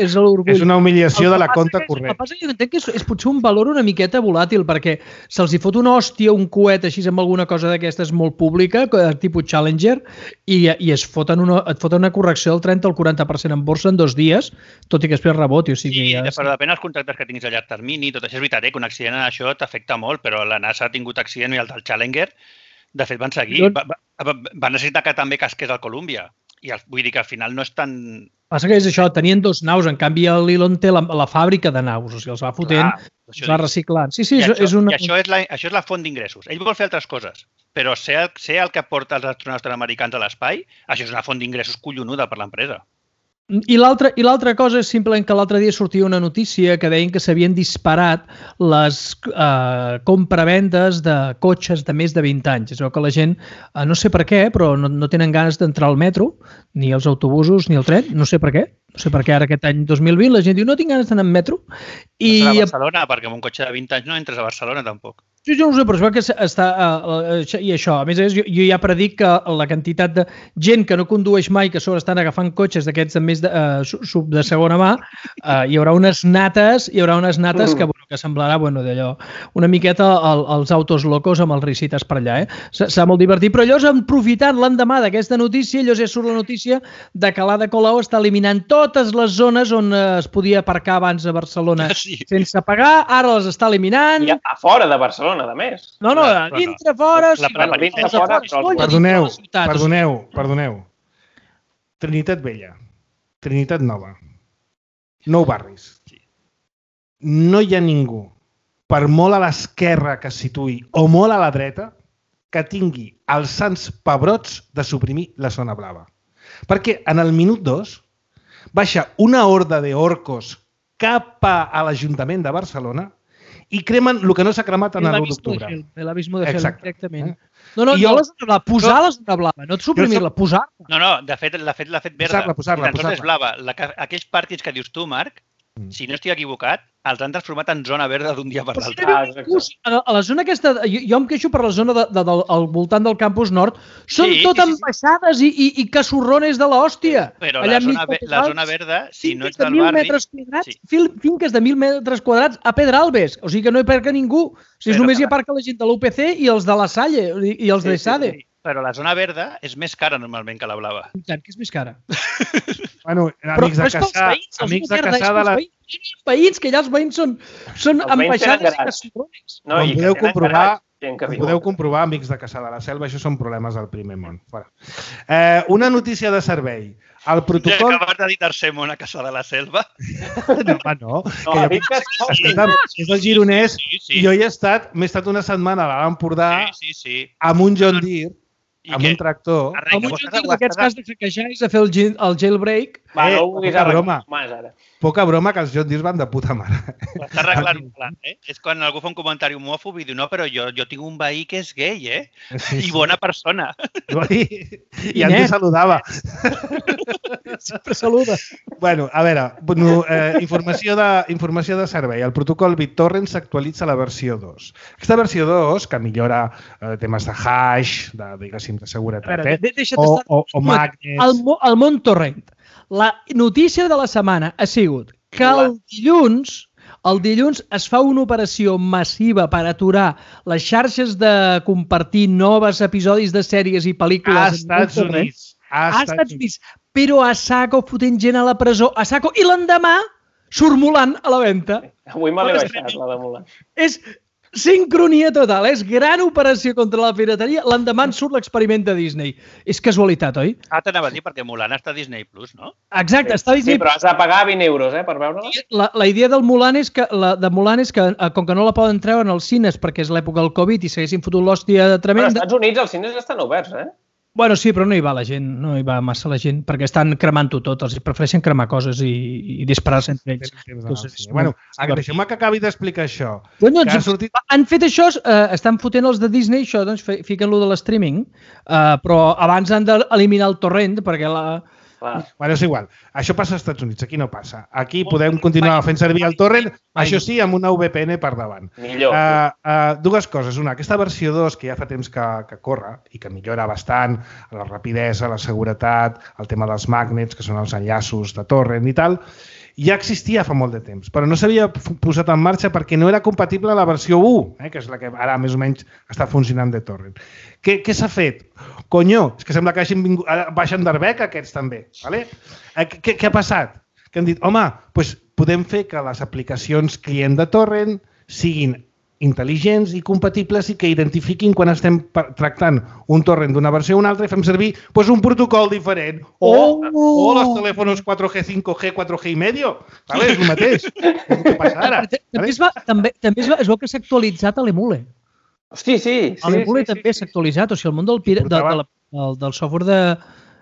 És una humiliació de la compta corrent. El que passa que jo entenc que és potser un valor una miqueta volàtil, perquè se'ls hi fot una hòstia, un coet així amb alguna cosa d'aquestes molt pública, tipus Challenger, i et foten una correcció del 30 al 40% en borsa en 2 dies, tot i que després reboti. Però depèn dels contractes que tinguis a llarg termini. Tot això és veritat, que un accident en això t'afecta molt, però la NASA ha tingut accident i el del Challenger, de fet, van seguir. Va necessitar que també casqués al Columbia. I vull dir que al final no és tan... Passa que és això, tenien 2 naus, en canvi l'Elon té la fàbrica de naus, o sigui, els va fotent, els va reciclant. Sí, I això és la font d'ingressos. Ell vol fer altres coses, però ser el que porta els astronautes americans a l'espai, això és una font d'ingressos collonuda per l'empresa. I l'altra cosa és simplement que l'altre dia sortia una notícia que deien que s'havien disparat les compravendes de cotxes de més de 20 anys. És que la gent, no sé per què, però no tenen ganes d'entrar al metro, ni als autobusos, ni al tren, no sé per què. No sé per què ara aquest any 2020 la gent diu no tinc ganes d'anar en metro. No serà a Barcelona, perquè amb un cotxe de 20 anys no entres a Barcelona tampoc. Jo no ho sé, però es veu que està... I això, a més jo ja predic que la quantitat de gent que no condueix mai, que a sobre estan agafant cotxes d'aquests de segona mà, hi haurà unes nates que semblarà d'allò una miqueta els autos locos amb els risites per allà. Serà molt divertit, però allò és aprofitant l'endemà d'aquesta notícia, allò ja surt la notícia de que l'Ada Colau està eliminant totes les zones on es podia aparcar abans a Barcelona sense pagar, ara les està eliminant. I a fora de Barcelona, a més. No, dintre, fora... Perdoneu. Trinitat Vella, Trinitat Nova, 9 barris. No hi ha ningú, per molt a l'esquerra que es situï o molt a la dreta, que tingui els sants pebrots de suprimir la zona blava. Perquè en el minut 2 baixa una horda d'orcos cap a l'Ajuntament de Barcelona i cremen el que no s'ha cremat en l'1 d'octubre. L'abismo de Gel, directament. No, posar la zona blava, no suprimir-la, posar-la. No, de fet l'ha fet verda. Posar-la. És blava. Aquells pàrquings que dius tu, Marc, si no estic equivocat, els han transformat en zona verda d'un dia per l'altre. A la zona aquesta, jo em queixo per la zona al voltant del campus nord, són tot ambaixades i casorrones de l'hòstia. Però la zona verda, si no ets del barri... Finques de 1.000 metres quadrats a Pedralbes, o sigui que no hi aparca ningú. Només hi aparca la gent de l'UPC i els de la Salle i els de SADE. Però la zona verda és més cara normalment que la blava. I tant, que és més cara. Bueno, amics de Caçà... Amics de Caçà de la... Veïns, que allà els veïns són ambaixades i casorrones. Com podeu comprovar, amics de Caçà de la Selva, això són problemes del primer món. Una notícia de servei. El protocol... Ja acabes de dir tercer món a Caçà de la Selva? No. És el gironès i jo m'he estat una setmana a l'Alt Empordà amb un John Deere, amb un tractor... Amb un John Deere, en aquest cas de hackejar és a fer el jailbreak. No ho vulguis arreglar més ara. Poca broma que els John Deere van de puta mare. Està arreglant un plan, És quan algú fa un comentari homòfob i diu no, però jo tinc un veí que és gay, I bona persona. I ens saludava. Sempre saluda. Bueno, a veure, informació de servei. El protocol BitTorrent s'actualitza a la versió 2. Aquesta versió 2, que millora temes de hash, diguéssim, de seguretat, o magnets... El món torrent. La notícia de la setmana ha sigut que el dilluns es fa una operació massiva per aturar les xarxes de compartir noves episodis de sèries i pel·lícules a Estats Units. Però a saco fotent gent a la presó, a saco. I l'endemà surt Mulan a la venda. Avui me l'he baixat, la de Mulan. És sincronia total, és gran operació contra la pirateria. L'endemà surt l'experiment de Disney. És casualitat, oi? T'anava a dir perquè Mulan està a Disney Plus, no? Exacte, està a Disney. Sí, però has de pagar 20 euros, per veure-la. La idea del Mulan és que, com que no la poden treure en els cines perquè és l'època del Covid i s'haguessin fotut l'hòstia tremenda... Però als Estats Units els cines estan oberts, Bueno, sí, però no hi va la gent, no hi va massa la gent, perquè estan cremant-ho tot, els prefereixen cremar coses i disparar-se entre ells. Bueno, deixeu-me que acabi d'explicar això. Han fet això, estan fotent els de Disney, això, doncs fiquen-lo de l'streaming, però abans han d'eliminar el torrent, perquè Bueno, és igual. Això passa als Estats Units, aquí no passa. Aquí podem continuar fent servir el torrent, això sí, amb una VPN per davant. Millor. Dues coses. Una, aquesta versió 2, que ja fa temps que corre i que millora bastant la rapidesa, la seguretat, el tema dels magnets, que són els enllaços de torrent i tal, ja existia fa molt de temps, però no s'havia posat en marxa perquè no era compatible a la versió 1, que és la que ara més o menys està funcionant de torrent. Què s'ha fet? Conyo, és que sembla que baixen d'Arbec aquests també. Vale? Què ha passat? Que han dit, home, doncs podem fer que les aplicacions client de torrent siguin intel·ligents i compatibles i que identifiquin quan estem tractant un torrent d'una versió o una altra i fem servir un protocol diferent. O els telèfons 4G, 5G, 4G i medio. Vale? És el mateix. Què passa ara? També es veu que s'ha actualitzat a l'Emule. Hosti, sí. L'Emule també s'ha actualitzat. O sigui, el món del software de...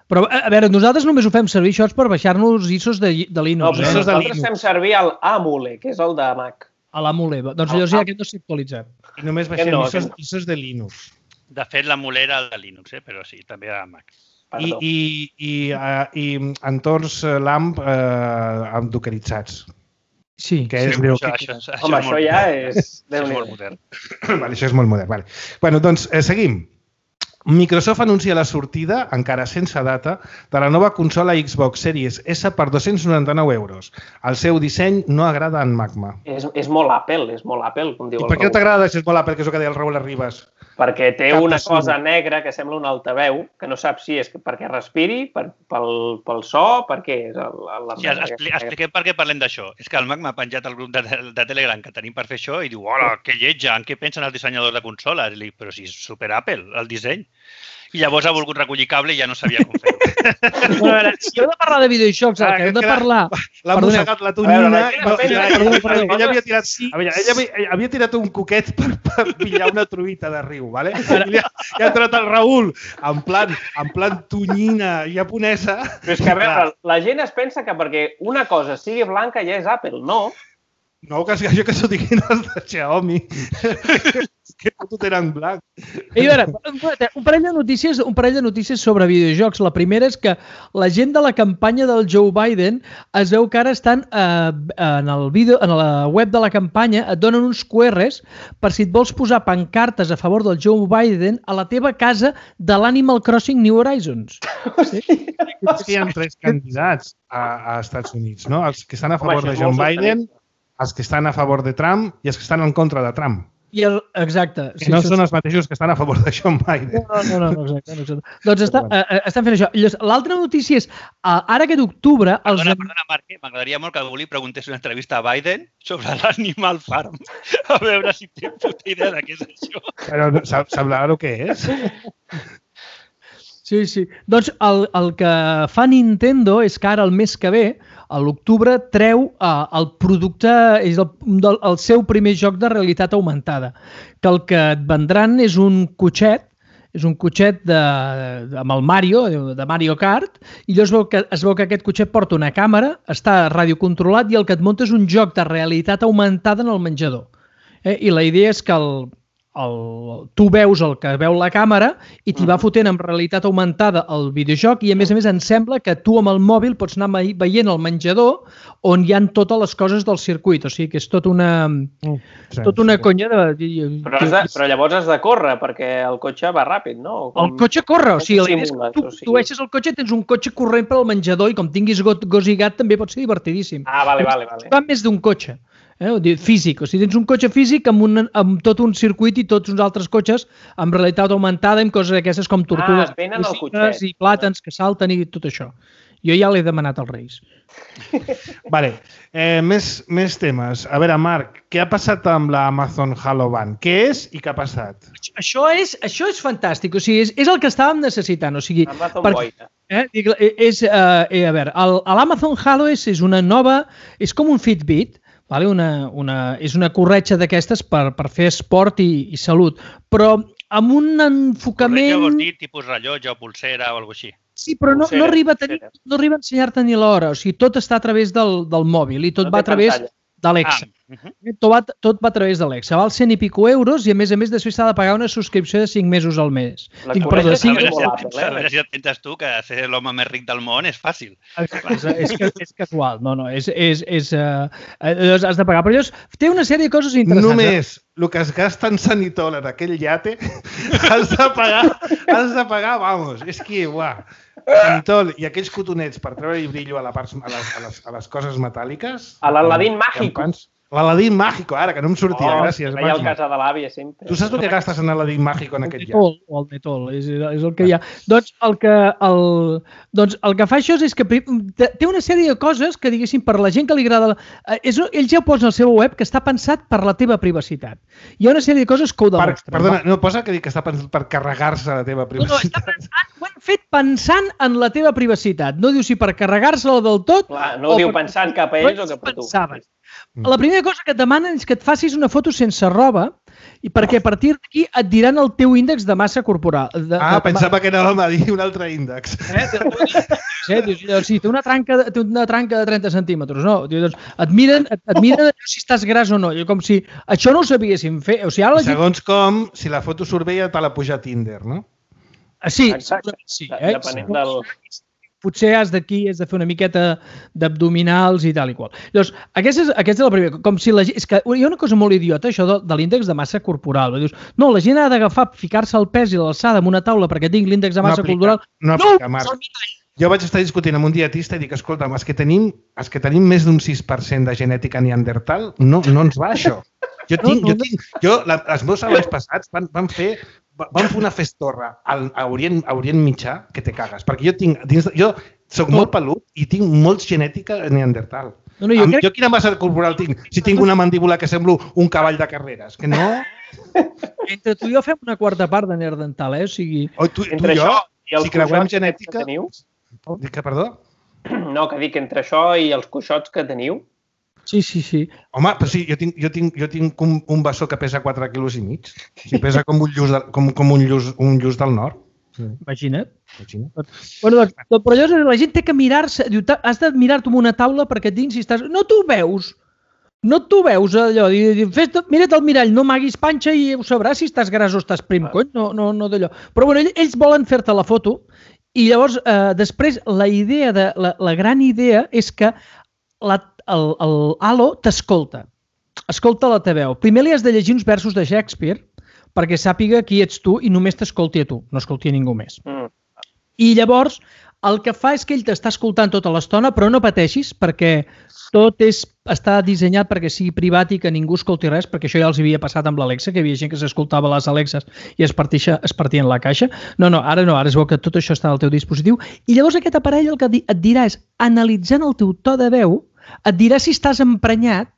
Però, a veure, nosaltres només ho fem servir això per baixar-nos ISOs de Linux. No, però nosaltres fem servir el Amule, que és el de Mac. A l'Amule. Doncs llavors ja aquest no s'ha actualitzat. I només baixem ISOs de Linux. De fet, l'Amule era el de Linux, però sí, també era Mac. I entorns LAMP dockeritzats. Sí. Home, això ja és... molt modern. Això és molt modern. Bueno, doncs seguim. Microsoft anuncia la sortida, encara sense data, de la nova consola Xbox Series S per 299 euros. El seu disseny no agrada en Magma. És molt Apple, com diu el Raül. I per què no t'agrada si és molt Apple, que és el que deia el Raül Arribas? Perquè té una cosa negra que sembla un altaveu, que no saps si és perquè respiri, pel so, per què és Sí, expliquem per què parlem d'això. És que el Magma ha penjat al grup de Telegram que tenim per fer això i diu, hola, que lletja, en què pensen els dissenyadors de consoles? I li dic, però si és super Apple, el disseny. I llavors ha volgut recollir cable i ja no sabia com fer-ho. Bueno, si heu de parlar de videojocs, el que heu de parlar... L'ha mossegat la tonyina... Ella havia tirat un coquet per pillar una truita de riu, ¿vale? I ha entrat el Raül en plan tonyina japonesa. Però és que, a veure, la gent es pensa que perquè una cosa sigui blanca ja és Apple, no? No, que s'ho diguin els de Xiaomi. Que tot eren blanc. I a veure, un parell de notícies sobre videojocs. La primera és que la gent de la campanya del Joe Biden es veu que ara estan en la web de la campanya, et donen uns QRs per si et vols posar pancartes a favor del Joe Biden a la teva casa de l'Animal Crossing New Horizons. Sí? És que hi ha 3 candidats a Estats Units, no? Els que estan a favor de Joe Biden, els que estan a favor de Trump i els que estan en contra de Trump. Exacte. Que no són els mateixos que estan a favor de Joe Biden. No, exacte. Doncs estan fent això. L'altra notícia és, ara aquest octubre... Perdona, Marc, m'agradaria molt que algú li preguntés una entrevista a Biden sobre l'Animal Farm. A veure si té puta idea de què és això. Però sabrà el que és? Sí. Doncs el que fa Nintendo és que ara, el mes que ve, a l'octubre, treu el producte, és el seu primer joc de realitat augmentada, que el que et vendran és un cotxet amb el Mario, de Mario Kart, i llavors es veu que aquest cotxet porta una càmera, està radiocontrolat i el que et munta és un joc de realitat augmentada en el menjador. I la idea és que tu veus el que veu la càmera i t'hi va fotent amb realitat augmentada el videojoc i a més em sembla que tu amb el mòbil pots anar veient el menjador on hi ha totes les coses del circuit, o sigui que és tot una conya de... Però llavors has de córrer perquè el cotxe va ràpid, no? El cotxe corre, o sigui, la idea és que tu deixes el cotxe, tens un cotxe corrent per al menjador i com tinguis gos i gat també pot ser divertidíssim. Vale. Va més d'un cotxe. Físic, o sigui, tens un cotxe físic amb tot un circuit i tots uns altres cotxes amb realitat augmentada, amb coses aquestes com tortugues venen al cotxet i plàtans que salten i tot això. Jo ja l'he demanat als Reis. Vale, més temes. A veure, Marc, què ha passat amb la Amazon Halo Band? Què és i què ha passat? Això és fantàstic, o sigui, és el que estàvem necessitant. O sigui, Amazon Boina. A veure, l'Amazon Halo és una nova, és com un Fitbit, vale? És una corretja d'aquestes per fer esport i salut, però amb un enfocament... Corretja vols dir tipus rellotge o pulsera o alguna cosa així. Sí, però no arriba a ensenyar-te ni l'hora, o sigui, tot està a través del mòbil i tot va a través d'Alexa. Tot va a través d'Alexa. Val 100 i pico euros i, a més, després s'ha de pagar una subscripció de 5 mesos al mes. A veure si t'entens tu que ser l'home més ric del món és fàcil. És casual. No, has de pagar. Però llavors té una sèrie de coses interessants. Només el que es gasta en sanitol en aquell iate has de pagar, vamos, és que, uah, sanitol i aquells cotonets per treure-hi brillo a les coses metàl·liques. A l'Aladín Mágico. L'Aladín Mágico, ara, que no em sortia, gràcies. Veia el casa de l'àvia sempre. Tu saps el que gastes en l'Aladín Mágico en aquest llap? El Netol, és el que hi ha. Doncs el que fa això és que té una sèrie de coses que, diguéssim, per la gent que li agrada... Ells ja ho posen al seu web que està pensat per la teva privacitat. Hi ha una sèrie de coses que ho demostren. Perdona, no posa que està pensat per carregar-se la teva privacitat. Ho han fet pensant en la teva privacitat. No diu si per carregar-se-la del tot... No ho diu pensant cap a ells o cap a tu. La primera cosa que et demanen és que et facis una foto sense roba i perquè a partir d'aquí et diran el teu índex de massa corporal. Pensava que anàvem a dir un altre índex. Si té una tranca de 30 centímetres, no? Et miren si estàs gras o no. Com si això no ho sabíessim fer. Segons com, si la foto surt bé ja te la puja a Tinder, no? Sí. Depenent del... Potser has de fer una miqueta d'abdominals i tal i qual. Llavors, aquesta és la primera. Com si és que hi ha una cosa molt idiota, això de l'índex de massa corporal. Dius, no, la gent ha d'agafar, ficar-se el pes i l'alçada en una taula perquè tinc l'índex de massa corporal. No aplica, Marc. Jo vaig estar discutint amb un dietista i dic, escolta'm, els que tenim més d'un 6% de genètica neandertal, no ens va això. Els meus avis passats van fer una festorra a Orient Mitjà que te cagues, perquè jo soc molt pelut i tinc molts genètica neandertal. Jo quina massa corporal tinc? Si tinc una mandíbula que semblo un cavall de carreres, que no... Entre tu i jo fem una quarta part de neandertal, O sigui... Tu i jo, si creuem genètica... Perdó? No, que dic, entre això i els coixots que teniu... Sí. Home, però sí, jo tinc un bessó que pesa 4 quilos i mig. Si pesa com un lluç del nord. Imagina't. Bueno, però llavors la gent té que mirar-se, has de mirar-te en una taula perquè dins si estàs... No t'ho veus allò. Mira't al mirall, no m'haguis panxa i ho sabràs si estàs gras o estàs prim, cony. No d'allò. Però bueno, ells volen fer-te la foto i llavors després la gran idea és que el Halo t'escolta. Escolta la teva veu. Primer li has de llegir uns versos de Shakespeare perquè sàpiga qui ets tu i només t'escolti a tu, no escolti a ningú més. I llavors el que fa és que ell t'està escoltant tota l'estona, però no pateixis perquè tot està dissenyat perquè sigui privat i que ningú escolti res, perquè això ja els havia passat amb l'Alexa, que hi havia gent que s'escoltava les Alexes i es partien la caixa. Ara es veu que tot això està al teu dispositiu. I llavors aquest aparell el que et dirà és, analitzant el teu to de veu, et dirà si estàs emprenyat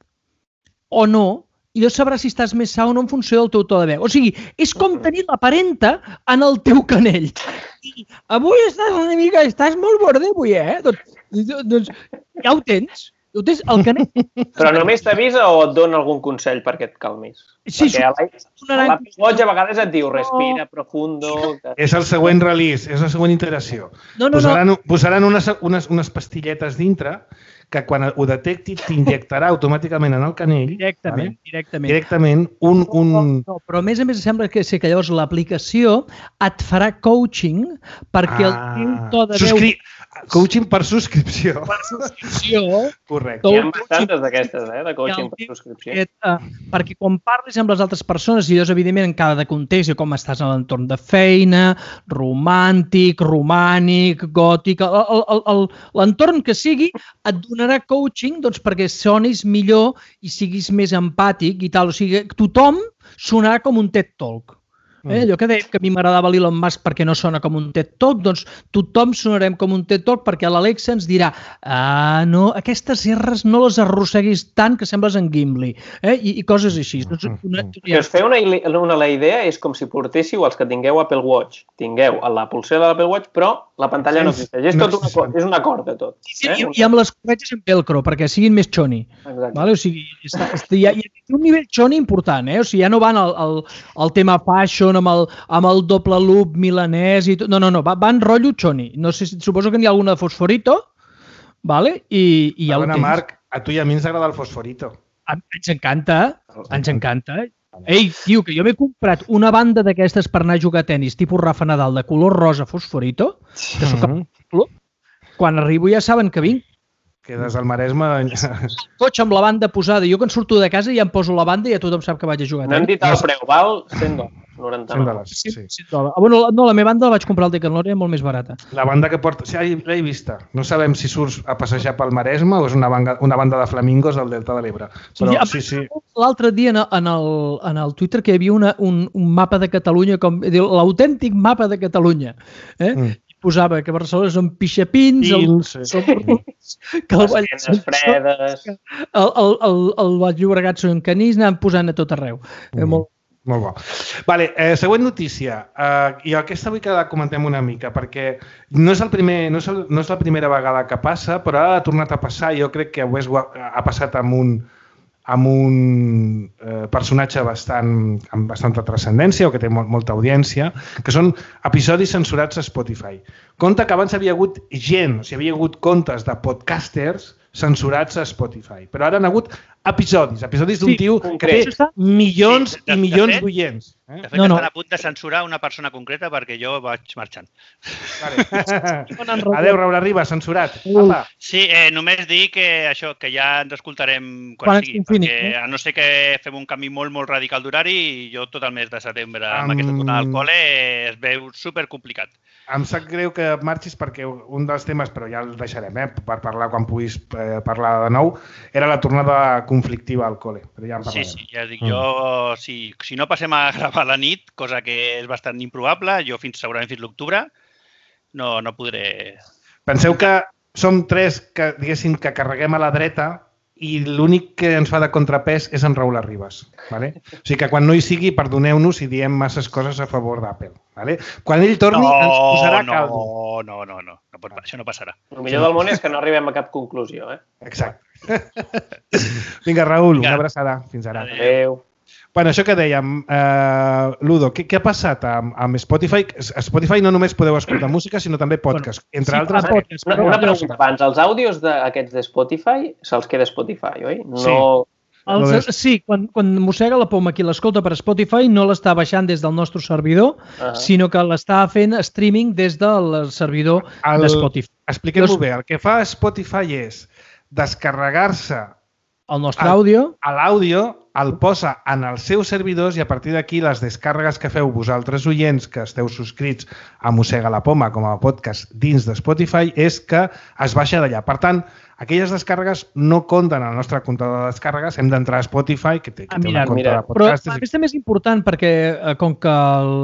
o no, i llavors sabràs si estàs més sa o no en funció del teu to de veu. O sigui, és com tenir la parenta en el teu canell. I avui estàs molt borde, avui, Doncs ja ho tens. El canell. Però només t'avisa o et dona algun consell perquè et calmis? Sí, perquè a l'Apple Watch a vegades et diu respira profundo... És el següent release, és la següent iteració. Posaran unes pastilletes dintre que quan ho detecti t'injectarà automàticament en el canell directament un... No, però a més sembla que llavors l'aplicació et farà coaching perquè el teu to de veu... Coaching per subscripció. Per subscripció. Correcte. Hi ha bastantes d'aquestes, de coaching per subscripció. Perquè quan parlis amb les altres persones, i llavors, evidentment, en cada context, com estàs en l'entorn de feina, romàntic, romànic, gòtic, l'entorn que sigui, et donarà coaching perquè sonis millor i siguis més empàtic i tal. O sigui, tothom sonarà com un TED Talk. Allò que dèiem que a mi m'agradava l'Elon Musk perquè no sona com un TED Talk, doncs tothom sonarem com un TED Talk perquè l'Alexa ens dirà no, aquestes R's no les arrosseguis tant que sembles en Gimli, i coses així. Si us feu la idea, és com si portéssiu els que tingueu Apple Watch. Tingueu la pulsera de l'Apple Watch, però la pantalla no existeix. És un acord de tot. I amb les corretges en velcro, perquè siguin més xoni. Vale? O sigui, hi ha un nivell xoni important, o sigui, ja no van al tema fashion, amb el doble loop milanès i tot. No, van rotllo xoni. No sé, suposo que n'hi ha alguna de fosforito, vale? I ja ho tens. Marc, a tu i a mi ens agrada el fosforito. Ens encanta. Ei, tio, que jo m'he comprat una banda d'aquestes per anar a jugar a tenis, tipus Rafa Nadal, de color rosa fosforito, que soc al club. Quan arribo ja saben que vinc. Quedes al Maresme... El cotxe amb la banda posada. Jo quan surto de casa ja em poso la banda i ja tothom sap que vaig a jugar. No hem dit el preu, val $100, $99. $100. Bueno, no, la meva banda la vaig comprar al Decathlon, era molt més barata. La banda que porta... Sí, l'he vista. No sabem si surts a passejar pel Maresme o és una banda de flamingos del Delta de l'Ebre. Però sí. L'altre dia en el Twitter que hi havia un mapa de Catalunya, com diu, l'autèntic mapa de Catalunya. Posava que Barcelona són pixapins, que el fredes, el Baix Llobregat són canís, anàvem posant a tot arreu. Molt bo. Vale, següent notícia. I aquesta vull que la comentem una mica, perquè no és la primera vegada que passa, però ara ha tornat a passar. Jo crec que ha passat amb un personatge amb bastanta transcendència o que té molta audiència, que són episodis censurats a Spotify. Compte que abans havia hagut gent, o sigui, havia hagut comptes de podcasters censurats a Spotify, però ara han hagut episodis d'un tio que té milions i milions d'oients. De fet, estan a punt de censurar una persona concreta perquè jo vaig marxant. Adéu, Raül Arriba, censurat. Sí, només dir que això, que ja ens escoltarem quan sigui, perquè a no ser que fem un canvi molt, molt radical d'horari, jo tot el mes de setembre amb aquesta tornada al col·le es veu supercomplicat. Em sap greu que marxis perquè un dels temes, però ja el deixarem, per parlar quan puguis parlar de nou, era la tornada conflictiva al col·le. Ja sí, ja dic jo, si no passem a gravar a la nit, cosa que és bastant improbable, jo segurament fins l'octubre no podré... Penseu que som tres que, diguéssim, que carreguem a la dreta i l'únic que ens fa de contrapès és en Raül Arribas. Vale? O sigui que quan no hi sigui, perdoneu-nos si diem masses coses a favor d'Apple. Vale? Quan ell torni, ens posarà caldo. No, això no passarà. El millor del món és que no arribem a cap conclusió. Exacte. Vinga, Raül, una abraçada. Fins ara. Adéu. Bueno, això que dèiem, Ludo, què ha passat amb Spotify? A Spotify no només podeu escoltar música, sinó també podcast, entre altres. Una pregunta abans, els àudios d'aquests de Spotify se'ls queda Spotify, oi? Sí, quan mossega la poma qui l'escolta per Spotify no l'està baixant des del nostre servidor, sinó que l'està fent streaming des del servidor de Spotify. Expliquem-ho bé, el que fa Spotify és descarregar-se el nostre àudio, l'àudio, el posa en els seus servidors i a partir d'aquí les descàrregues que feu vosaltres oients que esteu subscrits a Mossega la Poma com a podcast dins de Spotify és que es baixa d'allà. Per tant, aquelles descàrregues no compten al nostre comptador de descàrregues, hem d'entrar a Spotify, que té una compte de podcast. Però a més també és important perquè com que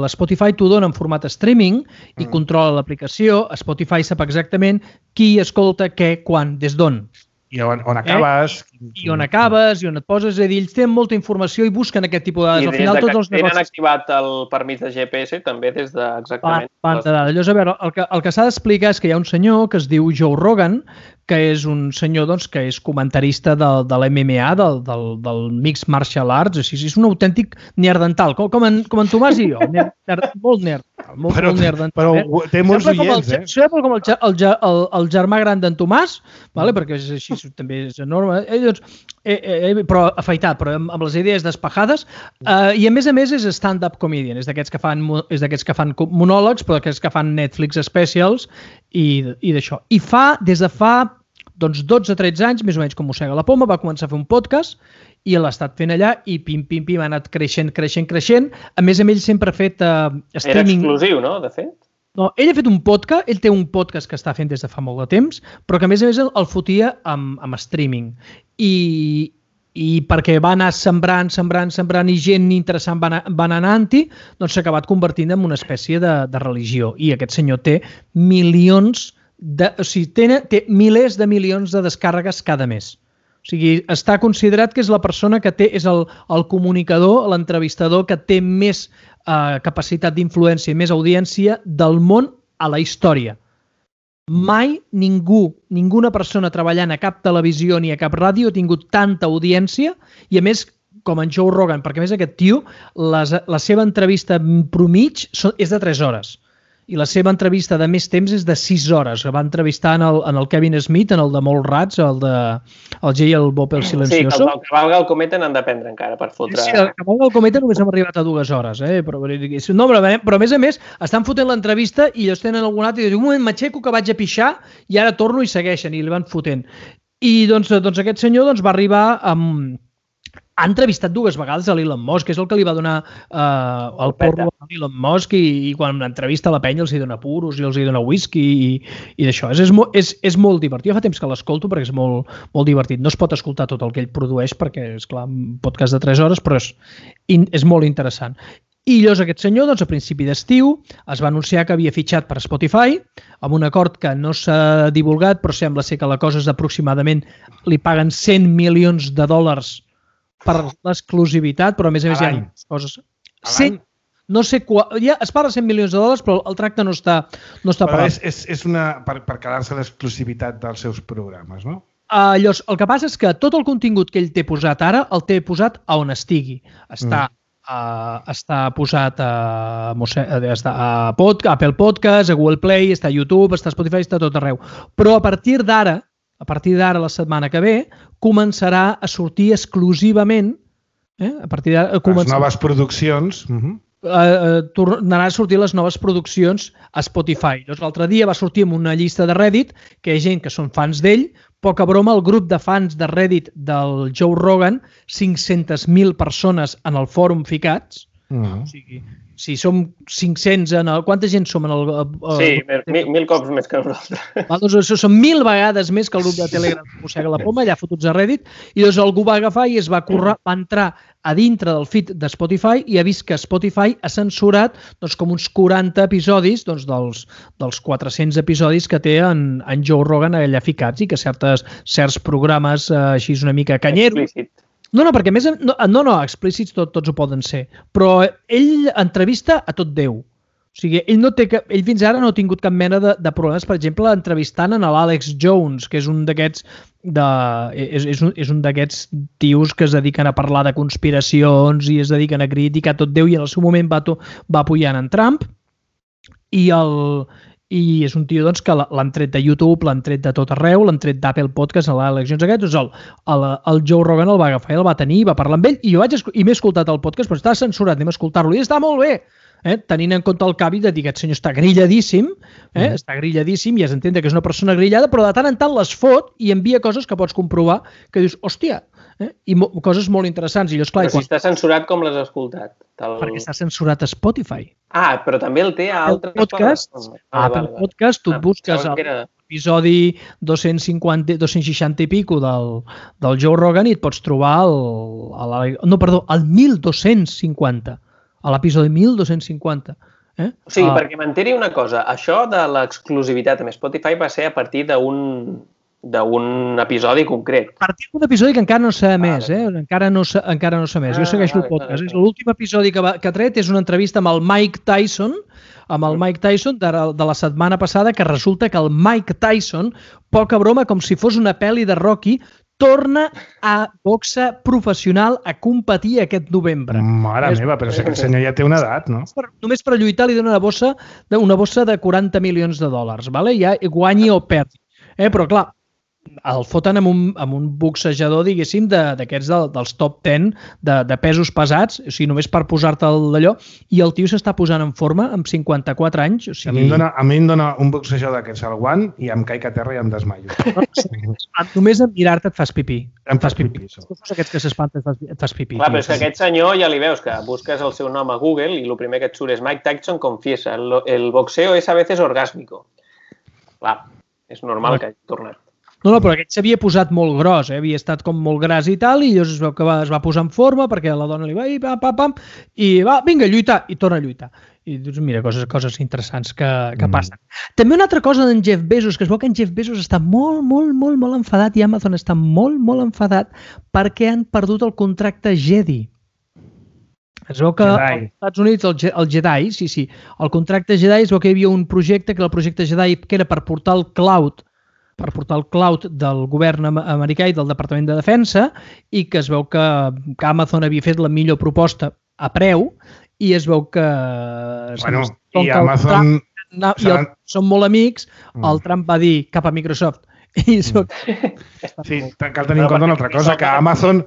l'Spotify t'ho dona en format streaming i controla l'aplicació, Spotify sap exactament qui escolta què, quan, des d'on. I on acabes. I on acabes, i on et poses. És a dir, ells tenen molta informació i busquen aquest tipus de dades. I des que tenen activat el permís de GPS, també des de exactament... Llavors, a veure, el que s'ha d'explicar és que hi ha un senyor que es diu Joe Rogan, que és un senyor que és comentarista de l'MMA, del Mixed Martial Arts, així, és un autèntic neardental, com en Tomàs i jo, molt neardental. Però té molts oients, eh? Sembla com el germà gran d'en Tomàs, perquè és així, també és enorme, però afaitat, però amb les idees despejades, i a més és stand-up comedian, és d'aquests que fan monòlegs, però d'aquests que fan Netflix specials i d'això. I des de fa 12-13 anys, més o menys com Mossega la Poma, va començar a fer un podcast i l'ha estat fent allà i pim, ha anat creixent. A més, ell sempre ha fet streaming... Era exclusiu, no?, de fet? No, ell ha fet un podcast, ell té un podcast que està fent des de fa molt de temps, però que a més el fotia amb streaming. I i perquè va anar sembrant i gent interessant va anant-hi, doncs s'ha acabat convertint en una espècie de religió. I aquest senyor té milions té milers de milions de descàrregues cada mes. O sigui, està considerat que és la persona que és el comunicador, l'entrevistador que té més capacitat d'influència i més audiència del món a la història. Mai ninguna persona treballant a cap televisió ni a cap ràdio ha tingut tanta audiència i, a més, com en Joe Rogan, perquè a més aquest tio, la seva entrevista promig és de 3 hores. I la seva entrevista de més temps és de 6 hores. Va entrevistar en el Kevin Smith, en el de Molts Rats, el Jay el Bob el Silencioso. Sí, que el Cavalga el Cometa n'han de prendre encara per fotre... Sí, el Cavalga el Cometa només hem arribat a 2 hores. Però a més, estan fotent l'entrevista i ells tenen algun altre i diuen, un moment, m'aixeco que vaig a pixar i ara torno i segueixen i li van fotent. I doncs aquest senyor va arribar amb... Ha entrevistat 2 vegades a l'Elon Musk, que és el que li va donar el porro a l'Elon Musk i quan entrevista la penya els hi dona puros i els hi dona whisky i d'això. És molt divertit. Jo fa temps que l'escolto perquè és molt, molt divertit. No es pot escoltar tot el que ell produeix perquè, és clar, un podcast de 3 hores, però és molt interessant. I llavors aquest senyor, a principi d'estiu, es va anunciar que havia fitxat per Spotify amb un acord que no s'ha divulgat, però sembla ser que la cosa és aproximadament li paguen $100 milions per l'exclusivitat, però a més hi ha coses... No sé es parla de $100 milions, però el tracte no està pagat. És per quedar-se l'exclusivitat dels seus programes, no? Llavors, el que passa és que tot el contingut que ell té posat ara, el té posat a on estigui. Està posat a Apple Podcast, a Google Play, està a YouTube, està a Spotify, està a tot arreu. Però a partir d'ara, la setmana que ve, començarà a sortir exclusivament les noves produccions. Tornarà a sortir les noves produccions a Spotify. L'altre dia va sortir amb una llista de Reddit que hi ha gent que són fans d'ell. Poca broma, el grup de fans de Reddit del Joe Rogan, 500.000 persones en el fòrum ficats. O sigui, si som 500 quanta gent som en el... Sí, 1.000 cops més que nosaltres. Doncs són 1.000 vegades més que el grup de Telegram que mossega la poma, allà fotuts a Reddit, i doncs algú va agafar i es va entrar a dintre del feed de Spotify i ha vist que Spotify ha censurat com uns 40 episodis dels 400 episodis que té en Joe Rogan allà ficats i que certs programes així una mica canyeros... No, perquè a més... No, explícits tots ho poden ser. Però ell entrevista a tot Déu. O sigui, ell fins ara no ha tingut cap mena de problemes, per exemple, entrevistant en l'Alex Jones, que és un d'aquests tios que es dediquen a parlar de conspiracions i es dediquen a criticar tot Déu i en el seu moment va apoyant en Trump. I és un tio que l'han tret de YouTube, l'han tret de tot arreu, l'han tret d'Apple Podcast, a l'Alex Jones aquest, el Joe Rogan el va agafar i el va tenir, va parlar amb ell, i jo m'he escoltat el podcast, però està censurat, anem a escoltar-lo, i està molt bé, tenint en compte el cavi de dir que aquest senyor està grilladíssim, està grilladíssim i es entén que és una persona grillada, però de tant en tant les fot i envia coses que pots comprovar, que dius, hòstia, i coses molt interessants. I llavors, clar, però si està censurat, com l'has escoltat? Perquè està censurat a Spotify. Però també el té a altres podcasts. A Apple Podcast, tu et busques l'episodi 260 i pico del Joe Rogan i et pots trobar el 1250. A l'episodi 1250. O sigui, perquè m'enteri una cosa, això de l'exclusivitat amb Spotify va ser a partir d'un episodi concret. A partir d'un episodi que encara no s'ha emès, encara no s'ha emès. Jo segueixo el podcast. L'últim episodi que ha tret és una entrevista amb el Mike Tyson, de la setmana passada, que resulta que el Mike Tyson, poca broma, com si fos una pel·li de Rocky, torna a boxa professional a competir aquest novembre. Mare meva, però és que el senyor ja té una edat, no? Només per lluitar li dona una bossa de $40 milions, ja guanyi o perdi. Però clar, el foten amb un boxejador, diguéssim, d'aquests dels top 10 de pesos pesats, o sigui, només per posar-te d'allò, i el tio s'està posant en forma amb 54 anys. O sigui... A mi em dona un boxejador d'aquests al guant i em caic a terra i em desmaio. Només en mirar-te et fas pipí. Em fas pipí. Aquests que s'espanten et fas pipí. Clar, però és que aquest senyor ja li veus que busques el seu nom a Google i el primer que et surt és Mike Tyson confiesa, el boxeo es a veces orgásmico. Clar, és normal que hagi tornat. No, però aquest s'havia posat molt gros, havia estat com molt gras i tal, i llavors es veu que es va posar en forma perquè la dona li va dir pam, i va, vinga, lluitar, i torna a lluitar. I dius, mira, coses interessants que passen. També una altra cosa d'en Jeff Bezos, que es veu que en Jeff Bezos està molt enfadat i Amazon està molt enfadat perquè han perdut el contracte Jedi. Es veu que als Estats Units, el Jedi, sí, el contracte Jedi, es veu que hi havia un projecte, que era el projecte Jedi, que era per portar el cloud del govern americà i del Departament de Defensa, i que es veu que Amazon havia fet la millor proposta a preu, i es veu que... Bueno, i Amazon... Són molt amics, el Trump va dir cap a Microsoft. Sí, cal tenir en compte una altra cosa, que Amazon,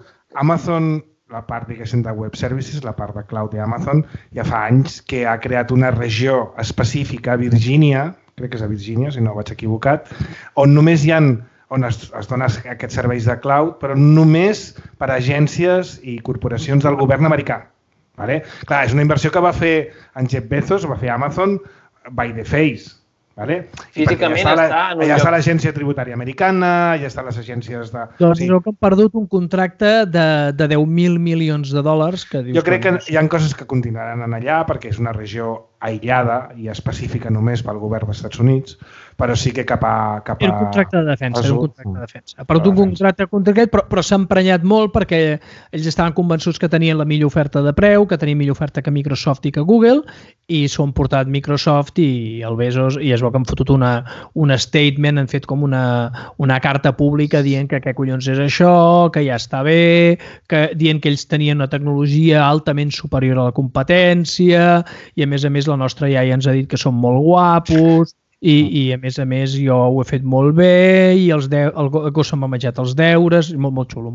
la part, diguéssim, de web services, la part de cloud d'Amazon, ja fa anys que ha creat una regió específica a Virgínia, crec que és a Virgínia, si no vaig equivocat, on només hi ha, on es donen aquests serveis de cloud, però només per a agències i corporacions del govern americà. Vale? Clar, és una inversió que va fer en Jeff Bezos, va fer Amazon by the face. Vale? Físicament allà està l'agència tributària americana, allà estan les agències de... Doncs que han perdut un contracte de 10.000 milions de dòlars. Jo crec que hi ha coses que continuaran allà perquè és una regió aïllada i específica només pel govern dels Estats Units, però sí que cap a... Era un contracte de defensa, Ha perdut un contracte concret, però s'ha emprenyat molt perquè ells estaven convençuts que tenien la millor oferta de preu, que tenien millor oferta que Microsoft i que Google, i s'ho han portat Microsoft i el Bezos, i es veu que han fotut un statement, han fet com una carta pública dient que què collons és això, que ja està bé, dient que ells tenien una tecnologia altament superior a la competència, i a més la nostra iaia ens ha dit que som molt guapos i a més jo ho he fet molt bé i el gos se'm ha menjat els deures, molt xulo.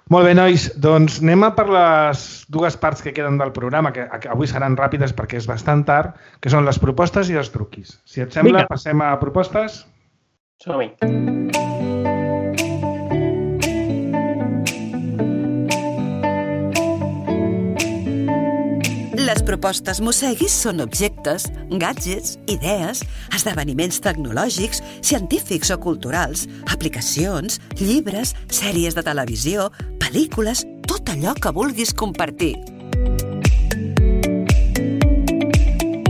Molt bé, nois, doncs anem a per les dues parts que queden del programa, que avui seran ràpides perquè és bastant tard, que són les propostes i els truquis. Si et sembla, passem a propostes? Som-hi. Les propostes Mosseguis són objectes, gadgets, idees, esdeveniments tecnològics, científics o culturals, aplicacions, llibres, sèries de televisió, pel·lícules, tot allò que vulguis compartir.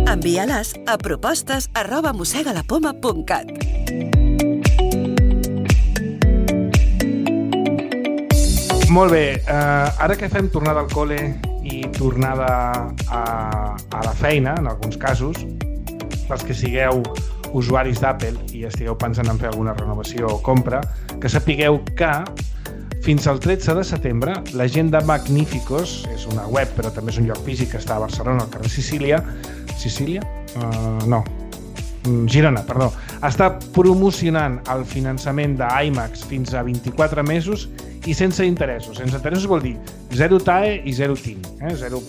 Envia-les a propostes@mossegalapoma.cat. Molt bé, ara que fem tornada al col·le i tornada a la feina, en alguns casos, pels que sigueu usuaris d'Apple i estigueu pensant en fer alguna renovació o compra, que sapigueu que fins al 13 de setembre la gent de Magníficos, és una web però també és un lloc físic que està a Barcelona, al carrer Girona, està promocionant el finançament d'iMacs fins a 24 mesos i sense interessos. Sense interessos vol dir 0 TAE i 0 TIN, 0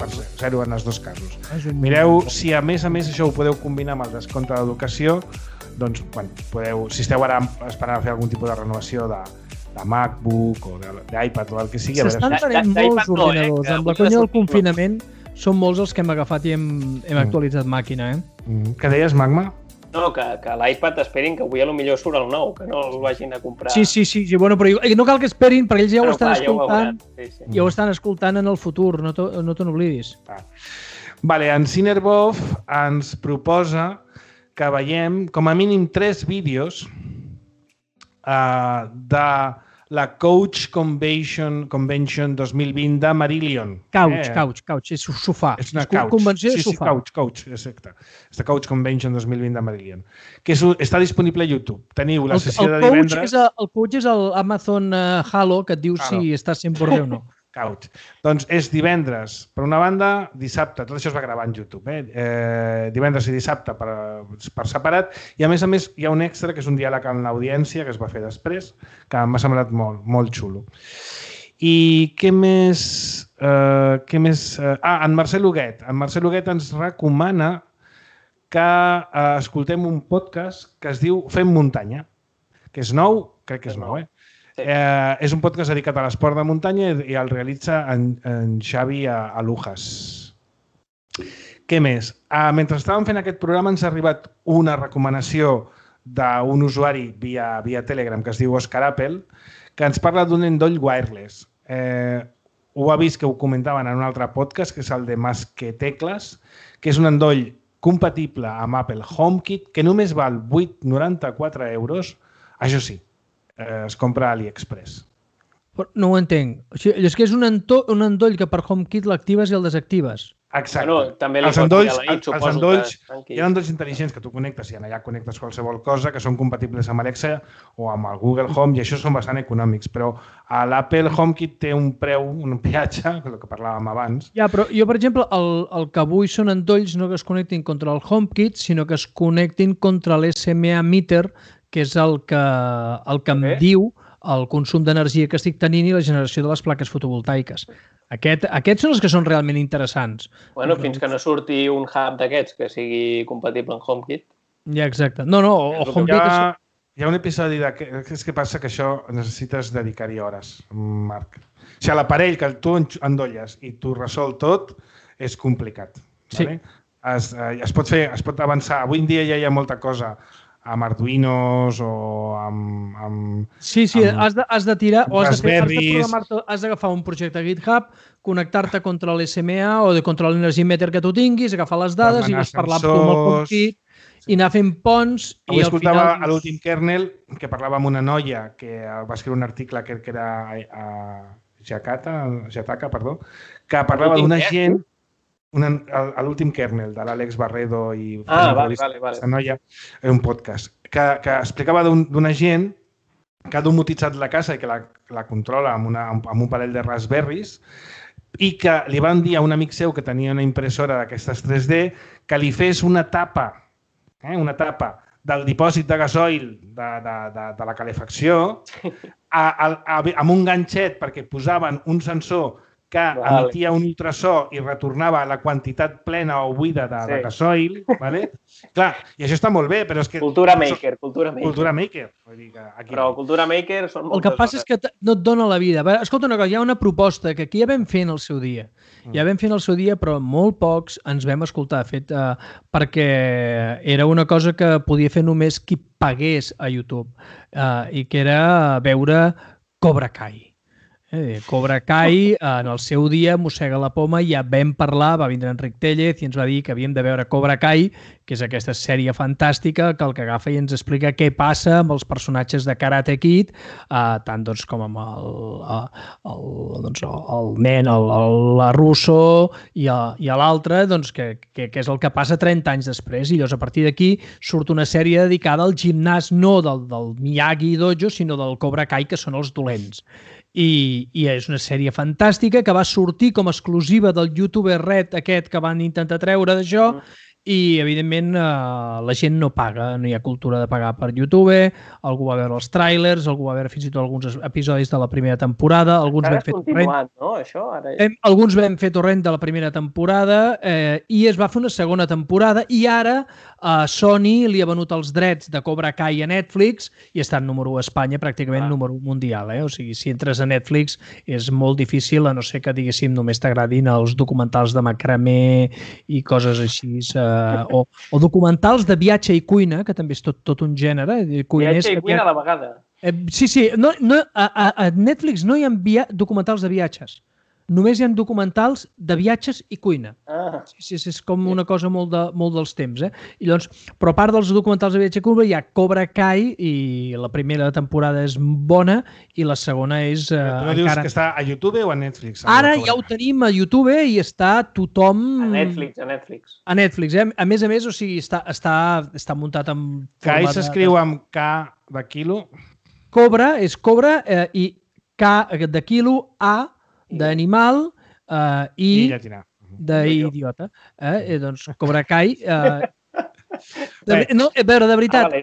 en els dos casos. Mireu si a més això ho podeu combinar amb el descompte d'educació, doncs podeu, si esteu ara esperant a fer algun tipus de renovació de MacBook o d'iPad o el que sigui. S'estan venent molts ordinadors. Amb la conya del confinament són molts els que hem agafat i hem actualitzat màquina. Què deies, Magma? No, que l'iPad esperin que avui potser surt el nou, que no el vagin a comprar. Sí, bueno, però no cal que esperin, perquè ells ja ho estan escoltant. Ja ho estan escoltant en el futur, no te n'oblidis. Vale, en Cinerbov ens proposa que veiem com a mínim 3 vídeos de la Couch Convention 2020 de Marillion. Couch, és sofà. És una couch. Convenció de sofà. Sí, couch, exacte. És la Couch Convention 2020 de Marillion, que està disponible a YouTube. Teniu la sessió de divendres... El Couch és l'Amazon Halo, que et diu si està sent borde o no. Couch. Doncs és divendres, per una banda, dissabte, tot això es va gravar en YouTube, divendres i dissabte per separat, i a més hi ha un extra, que és un diàleg amb l'audiència, que es va fer després, que m'ha semblat molt xulo. I què més? En Marcel Huguet. En Marcel Huguet ens recomana que escoltem un podcast que es diu Fem Muntanya, que és nou, crec que és nou, és un podcast dedicat a l'esport de muntanya i el realitza en Xavi Alujas. Què més? Mentre estàvem fent aquest programa ens ha arribat una recomanació d'un usuari via Telegram que es diu Oscar Apple, que ens parla d'un endoll wireless. Ho ha vist que ho comentaven en un altre podcast, que és el de Masquetecles, que és un endoll compatible amb Apple HomeKit, que només val 8,94 €. Això sí, es compra a AliExpress. No ho entenc. O sigui, és que és un endoll que per HomeKit l'actives i el desactives. Exacte. Bueno, també li Els pots endolls, dir a la nit, els suposo endolls, que... hi ha endolls intel·ligents que tu connectes i allà connectes qualsevol cosa que són compatibles amb Alexa o amb el Google Home i això són bastant econòmics, però l'Apple HomeKit té un preu, un peatge, el que parlàvem abans. Ja, però jo, per exemple, el que vull són endolls no que es connectin contra el HomeKit, sinó que es connectin contra l'SMA meter, que és el que em diu el consum d'energia que estic tenint i la generació de les plaques fotovoltaiques. Aquests són els que són realment interessants. Bueno, fins que no surti un hub d'aquests que sigui compatible amb HomeKit. Ja, exacte. No, o HomeKit... Hi ha un episodi és que passa que això necessites dedicar-hi hores, Marc. O sigui, l'aparell que tu endolles i tu resol tot és complicat. Sí. Vale? Es pot avançar. Avui en dia ja hi ha molta cosa amb Arduinos o amb Sí, has de tirar o has de programar-te, has d'agafar un projecte GitHub, connectar-te contra l'SMA o contra l'energy meter que tu tinguis, agafar les dades i vas parlar amb tu amb el HomeKit i anar fent ponts. Avui escoltava a l'últim kernel que parlava amb una noia que va escriure un article que era Jataka, que parlava d'una gent a l'últim kernel de l'Àlex Barredo i vale. noia, era un podcast que explicava d'una gent que ha domotitzat la casa i que la controla amb un parell de Raspberries i que li van dir a un amic seu que tenia una impressora d'aquestes 3D que li fes una tapa del dipòsit de gasoil de la calefacció amb un ganxet perquè posaven un sensor que emetia un ultrasó i retornava la quantitat plena o buida de gasoil. Vale? Clar, i això està molt bé, però és que... Cultura maker. Vull dir que aquí... Però cultura maker són moltes El que passa és que no et dona la vida. Escolta una cosa, hi ha una proposta que aquí ja vam fer en el seu dia. Però molt pocs ens vam escoltar, fet perquè era una cosa que podia fer només qui pagués a YouTube i que era veure Cobra Kai. Cobra Kai, en el seu dia, mossega la poma, ja vam parlar, va vindre Enric Tellez i ens va dir que havíem de veure Cobra Kai, que és aquesta sèrie fantàstica que el que agafa i ens explica què passa amb els personatges de Karate Kid, tant com amb el nen, la Russo i l'altre, que és el que passa 30 anys després. I llavors, a partir d'aquí, surt una sèrie dedicada al gimnàs, no del Miyagi Dojo, sinó del Cobra Kai, que són els dolents. I és una sèrie fantàstica que va sortir com a exclusiva del youtuber Red aquest que van intentar treure d'això i, evidentment, la gent no paga, no hi ha cultura de pagar per YouTube, algú va veure els tràilers, algú va veure fins i tot alguns episodis de la primera temporada, alguns vam fer torrent, no, això? Alguns vam fer torrent de la primera temporada i es va fer una segona temporada i ara Sony li ha venut els drets de Cobra Kai a Netflix i està en número 1 a Espanya, pràcticament número 1 mundial. O sigui, si entres a Netflix és molt difícil, a no ser que, diguéssim, només t'agradin els documentals de macramé i coses així, o documentals de viatge i cuina, que també és tot un gènere. Viatge i cuina a la vegada. Sí. A Netflix no hi ha documentals de viatges. Només hi ha documentals de viatges i cuina. Sí, és com una cosa molt dels temps. I llavors, però a part dels documentals de viatge i cuina hi ha Cobra Kai i la primera temporada és bona i la segona és... Tu no dius que està a YouTube o a Netflix? Ara ja ho tenim a YouTube i està tothom... A Netflix. A Netflix, A més, o sigui, està muntat amb... Kai s'escriu amb K de quilo. Cobra és cobra i K de quilo, A d'animal i d'idiota. Doncs Cobra Kai... No, a veure, de veritat,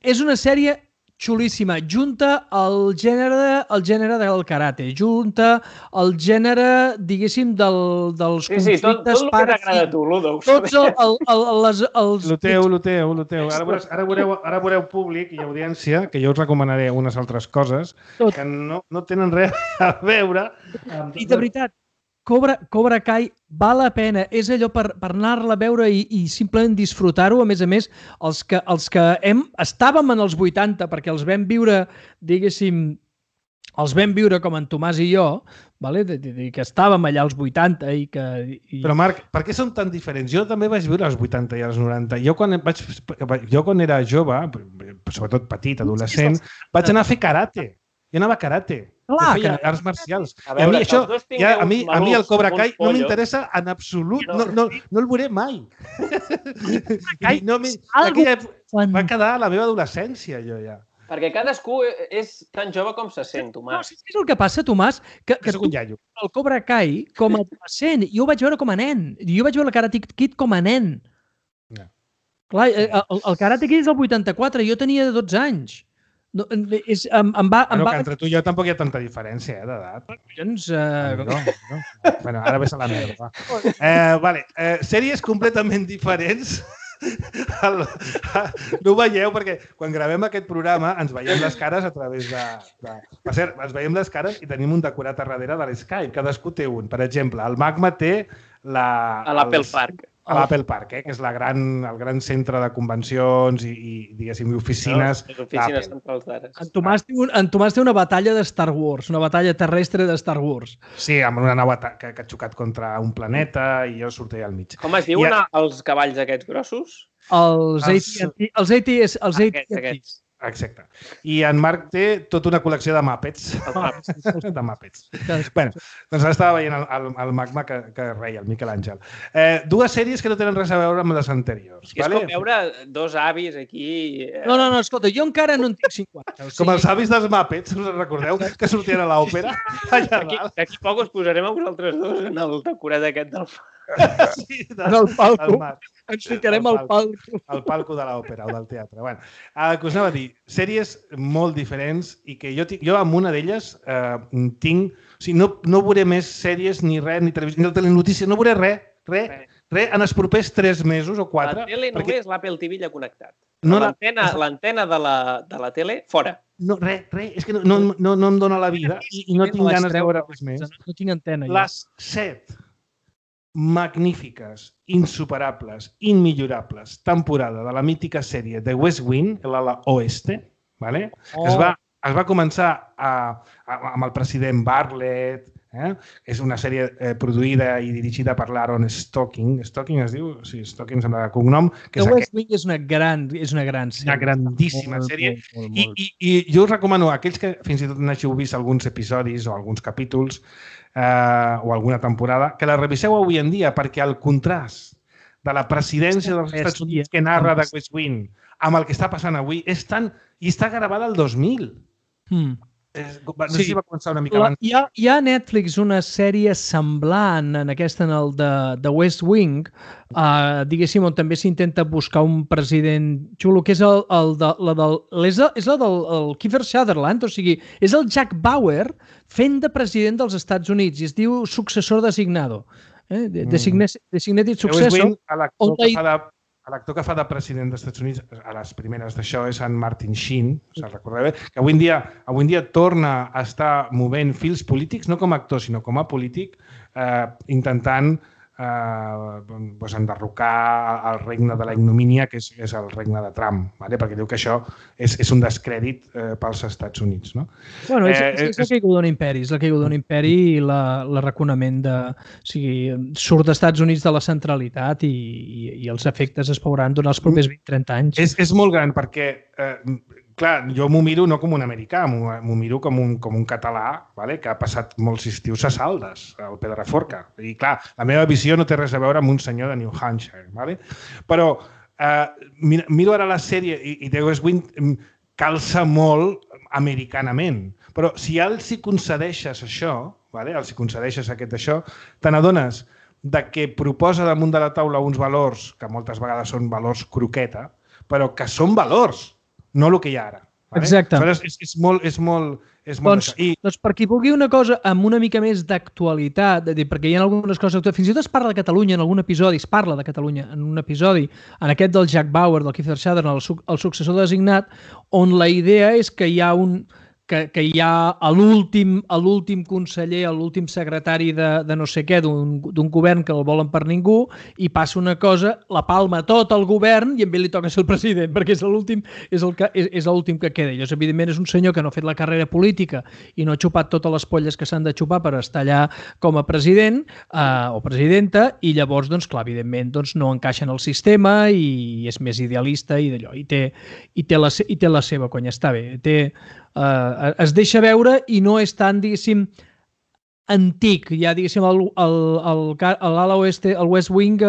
és una sèrie xulíssima. Junta el gènere del karate, junta el gènere, diguéssim, dels conflictes... tot el que t'agrada a tu, Ludo. Tots els... Lo teu. Ara veureu públic i audiència, que jo us recomanaré unes altres coses que no tenen res a veure. I de veritat, Cobra Kai val la pena. És allò per anar-la a veure i simplement disfrutar-ho. A més, els que estàvem en els 80, perquè els vam viure, diguéssim, com en Tomàs i jo, que estàvem allà als 80 i que... Però Marc, per què són tan diferents? Jo també vaig viure als 80 i als 90. Jo quan era jove, sobretot petit, adolescent, vaig anar a fer karate. Jo anava a karate. Jo feia arts marcials. I a mi això, a mi el Cobra Kai no m'interessa en absolut. No el veuré mai. Va quedar a la meva adolescència, jo ja. Perquè cadascú és tan jove com se sent, Tomàs. No, saps què és el que passa, Tomàs? Que tu, el Cobra Kai, com a adolescent, jo ho vaig veure com a nen. Jo vaig veure el Karate Kid com a nen. Clar, el Karate Kid és el 84, jo tenia 12 anys. Entre tu i jo tampoc hi ha tanta diferència d'edat. Bueno, ara ves a la merda. Vale, sèries completament diferents. No ho veieu perquè quan gravem aquest programa ens veiem les cares a través de... Per cert, ens veiem les cares i tenim un decorat a darrere de l'Skype. Cadascú té un. Per exemple, el Magma té l'Apple Park. A l'Apple Park, que és el gran centre de convencions i diguéssim, oficines. Les oficines centrals d'ara. En Tomàs té una batalla de Star Wars, una batalla terrestre de Star Wars. Sí, amb una nau que ha xocat contra un planeta i jo sortia al mig. Com es diuen els cavalls aquests grossos? Els AT-AT. Exacte. I en Marc té tota una col·lecció de Muppets. De Muppets. Bé, doncs ara estava veient el Magma que reia, el Miquel Àngel. Dues sèries que no tenen res a veure amb les anteriors. És com veure dos avis aquí... No, escolta, jo encara no en tinc 50. Com els avis dels Muppets, us recordeu que sortien a l'òpera? D'aquí poc us posarem a vosaltres dos en el decorat aquest del... Sí, en el palco. Ens ficarem al palco. Al palco de l'òpera o del teatre. Bueno, que us anava a dir, sèries molt diferents i que jo amb una d'elles tinc... O sigui, no veuré més sèries ni res, ni televisió, ni telenotícies, no veuré res en els propers 3 mesos o 4. La tele només l'Apple TV ja connectat. L'antena de la tele, fora. No, res. És que no em dóna la vida i no tinc ganes de veure res més. No tinc antena. Les 7 magnífiques, insuperables, immillorables temporada de la mítica sèrie The West Wing, l'ala oeste, ¿vale? Es va començar amb el president Bartlett, és una sèrie produïda i dirigida per l'Aaron Stocking. Stocking es diu? Sí, Stocking sembla de cognom. The West Wing és una gran sèrie. Una grandíssima sèrie. I jo us recomano a aquells que fins i tot n'hàgiu vist alguns episodis o alguns capítols o alguna temporada, que la reviseu avui en dia, perquè el contrast de la presidència dels Estats Units que narra de West Wing amb el que està passant avui és tant... I està gravada el 2000. No sé si va començar una mica abans. Hi ha a Netflix una sèrie semblant en aquesta, en el de West Wing, diguéssim, on també s'intenta buscar un president xulo, que és la del Kiefer Sutherland, o sigui, és el Jack Bauer fent de president dels Estats Units i es diu successor designado. Designated successor. L'actor que fa de president dels Estats Units a les primeres d'això és en Martin Sheen, se'l recordeu bé, que avui en dia torna a estar movent fils polítics, no com a actor, sinó com a polític, intentant enderrocar el regne de la ignomínia, que és el regne de Trump, perquè diu que això és un descrèdit pels Estats Units. Bueno, és la caiguda d'un imperi, és la caiguda d'un imperi i l'arraconament de... O sigui, surt dels Estats Units de la centralitat i els efectes es veuran durant els propers 20-30 anys. És molt gran perquè... Clar, jo m'ho miro no com un americà, m'ho miro com un català que ha passat molts estius a Saldes, al Pedraforca. I clar, la meva visió no té res a veure amb un senyor de New Hampshire. Però miro ara la sèrie i The West Wing calça molt americanament. Però si els hi concedeixes això, els hi concedeixes això, te n'adones que proposa damunt de la taula uns valors que moltes vegades són valors croqueta, però que són valors, no el que hi ha ara. Exacte. És molt... Doncs per qui vulgui una cosa amb una mica més d'actualitat, perquè hi ha algunes coses... Fins i tot es parla de Catalunya en algun episodi, es parla de Catalunya en un episodi, en aquest del Jack Bauer, del Kiefer Sutherland, el successor designat, on la idea és que hi ha que hi ha a l'últim conseller, a l'últim secretari de no sé què, d'un govern que el volen per ningú, i passa una cosa, la palma tot el govern i a ell li toca ser el president, perquè és l'últim que queda. I llavors, evidentment, és un senyor que no ha fet la carrera política i no ha xupat totes les polles que s'han de xupar per estar allà com a president o presidenta, i llavors, doncs, clar, evidentment, doncs, no encaixa en el sistema i és més idealista i d'allò. I té la seva conya, està bé. Es deixa veure i no és tan, diguéssim, antic. Ja, diguéssim, l'ala oeste, el West Wing,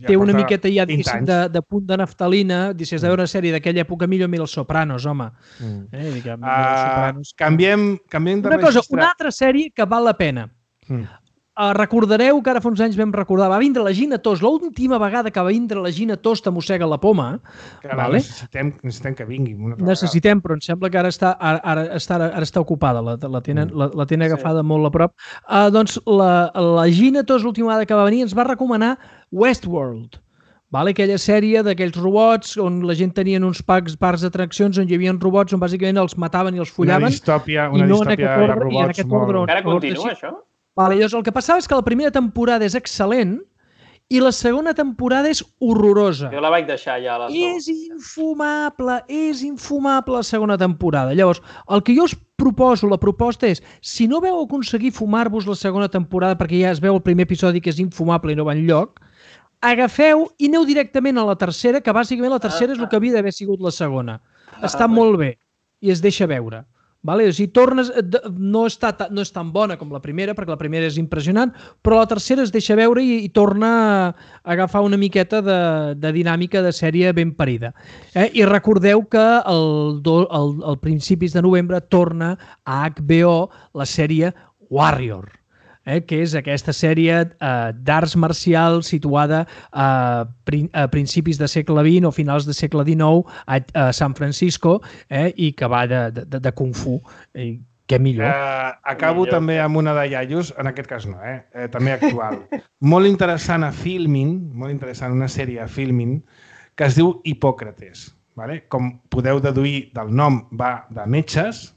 té una miqueta ja, diguéssim, de punt de naftalina. Si has de veure una sèrie d'aquella època, millor mira Els Sopranos, home. Canviem de una cosa, una altra sèrie que val la pena. Recordareu que ara fa uns anys vam recordar, va vindre la Gina Tos, l'última vegada que va vindre la Gina Tos t'amossega la poma. Necessitem que vingui una altra vegada. Però em sembla que ara està ocupada, la tenen agafada molt a prop. Doncs la Gina Tos, l'última vegada que va venir, ens va recomanar Westworld. Aquella sèrie d'aquells robots on la gent tenia uns parcs d'atraccions on hi havia robots on bàsicament els mataven i els follaven. Una distòpia de robots. Encara continua, això? Llavors, el que passava és que la primera temporada és excel·lent i la segona temporada és horrorosa. Jo la vaig deixar ja a És infumable la segona temporada. Llavors, el que jo us proposo, la proposta és, si no veu aconseguir fumar-vos la segona temporada perquè ja es veu el primer episodi que és infumable i no va enlloc, agafeu i aneu directament a la tercera, que bàsicament la tercera és el que havia d'haver sigut la segona. Està molt bé i es deixa veure. Si tornes, no és tan bona com la primera, perquè la primera és impressionant, però la tercera es deixa veure i torna a agafar una miqueta de dinàmica de sèrie ben parida. I recordeu que al principis de novembre torna a HBO la sèrie Warrior, que és aquesta sèrie d'arts marcials situada a principis de segle XX o finals de segle XIX a San Francisco, i que va de Kung Fu. Què millor. Acabo també amb una de iaios, en aquest cas no, també actual. Molt interessant a Filmin, una sèrie a Filmin, que es diu Hipòcrates. Com podeu deduir del nom, va de metges,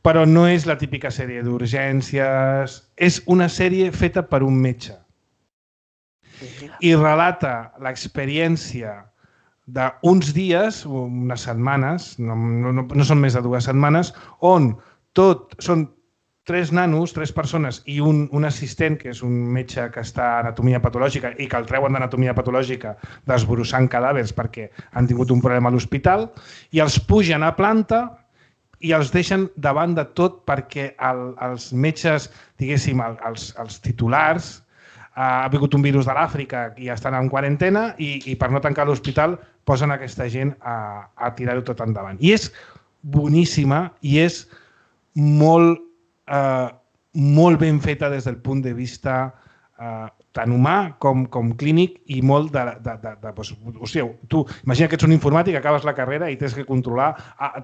però no és la típica sèrie d'urgències, és una sèrie feta per un metge. I relata l'experiència d'uns dies, unes setmanes, no són més de 2 setmanes, on són 3 nanos, 3 persones i un assistent, que és un metge que està a anatomia patològica i que el treuen d'anatomia patològica desbrossant cadàvers perquè han tingut un problema a l'hospital, i els pugen a planta i els deixen davant de tot perquè els metges, diguéssim, els titulars, ha vingut un virus de l'Àfrica i estan en quarantena i per no tancar l'hospital posen aquesta gent a tirar-ho tot endavant. I és boníssima i és molt ben feta des del punt de vista tant humà com clínic i molt de... O sigui, tu imagina que ets un informàtic, acabes la carrera i tens que controlar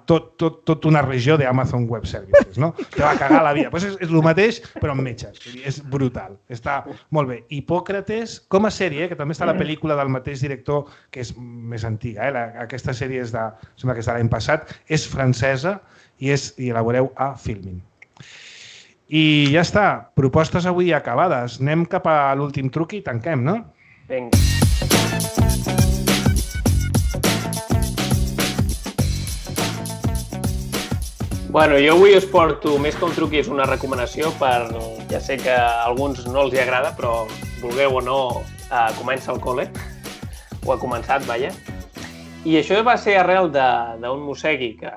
tot una regió d'Amazon Web Services, no? Te va cagar la vida. És el mateix, però amb metges. És brutal. Està molt bé. Hipòcrates, com a sèrie, que també està la pel·lícula del mateix director, que és més antiga. Aquesta sèrie és de l'any passat, és francesa i la veureu a Filmin. I ja està, propostes avui acabades. Anem cap a l'últim truc i tanquem, no? Vinga. Bueno, jo avui us porto, més que un truc, és una recomanació ja sé que a alguns no els hi agrada, però vulgueu o no, comença el col·le, o ha començat, vaja. I això va ser arrel d'un mossegui, que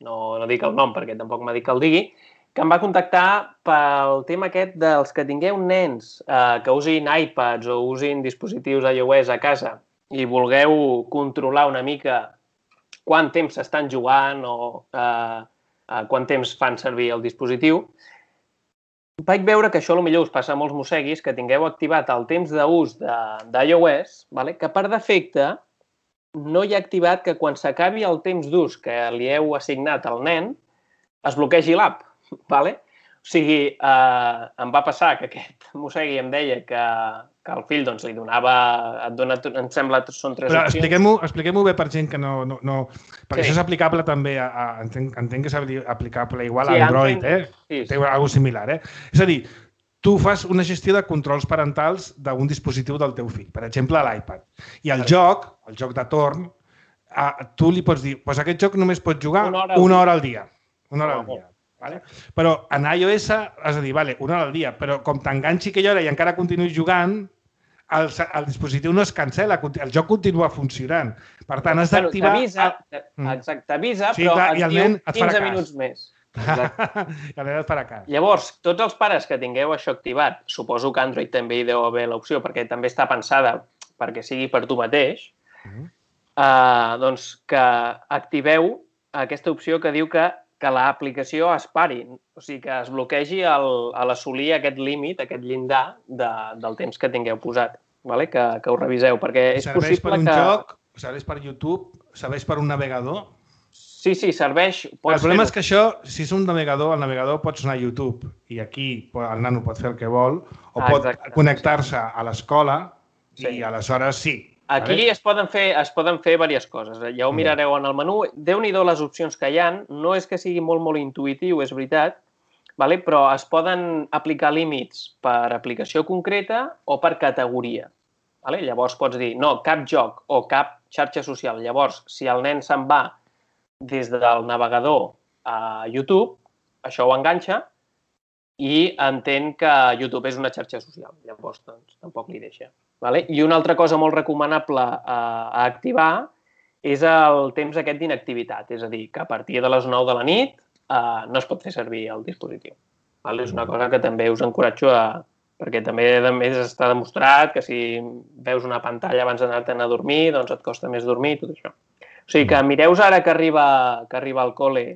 no dic el nom perquè tampoc m'ha dit que el digui, que em va contactar pel tema aquest dels que tingueu nens que usin iPads o usin dispositius iOS a casa i vulgueu controlar una mica quant temps s'estan jugant o quant temps fan servir el dispositiu. Vaig veure que això potser us passa a molts mosseguis, que tingueu activat el temps d'ús d'iOS, que per defecte no hi ha activat que quan s'acabi el temps d'ús que li heu assignat al nen es bloquegi l'app. O sigui, em va passar que aquest mossegui em deia que el fill doncs, li donava... Et dona, em sembla que són 3 Però opcions. expliquem-ho bé per gent que no... Perquè això és aplicable també entenc que és aplicable igual a Android, Sí. Té alguna cosa similar, És a dir, tu fas una gestió de controls parentals d'un dispositiu del teu fill, per exemple, l'iPad. I el joc de torn, tu li pots dir, doncs aquest joc només pots jugar una hora al dia. Una hora al dia. Vale? Però en iOS has de dir, vale, una hora al dia, però com t'enganxi aquella hora i encara continuïs jugant, el dispositiu no es cancel·la, el joc continua funcionant. Per tant, has d'activar... T'avisa, però et diu 15 minuts més. I el nen et farà cas. Llavors, tots els pares que tingueu això activat, suposo que Android també hi deu haver l'opció, perquè també està pensada perquè sigui per tu mateix, doncs que activeu aquesta opció que diu que l'aplicació es pari, o sigui, que es bloquegi a l'assolir aquest límit, aquest llindar del temps que tingueu posat, vale? Que ho reviseu, perquè és possible que... Serveix per un joc, serveix per YouTube, serveix per un navegador? Sí, serveix... El problema és que això, si és un navegador, el navegador pots anar a YouTube i aquí el nano pot fer el que vol o pot connectar-se a l'escola i aleshores sí. Aquí es poden fer diverses coses. Ja ho mirareu en el menú. Déu-n'hi-do les opcions que hi ha. No és que sigui molt, molt intuïtiu, és veritat, però es poden aplicar límits per aplicació concreta o per categoria. Llavors pots dir, no, cap joc o cap xarxa social. Llavors, si el nen se'n va des del navegador a YouTube, això ho enganxa i entén que YouTube és una xarxa social. Llavors, doncs, tampoc li deixa. I una altra cosa molt recomanable a activar és el temps aquest d'inactivitat. És a dir, que a partir de les 9 de la nit no es pot fer servir el dispositiu. És una cosa que també us encoratjo perquè també està demostrat que si veus una pantalla abans d'anar-te'n a dormir, doncs et costa més dormir i tot això. O sigui que mireu ara que arriba al col·le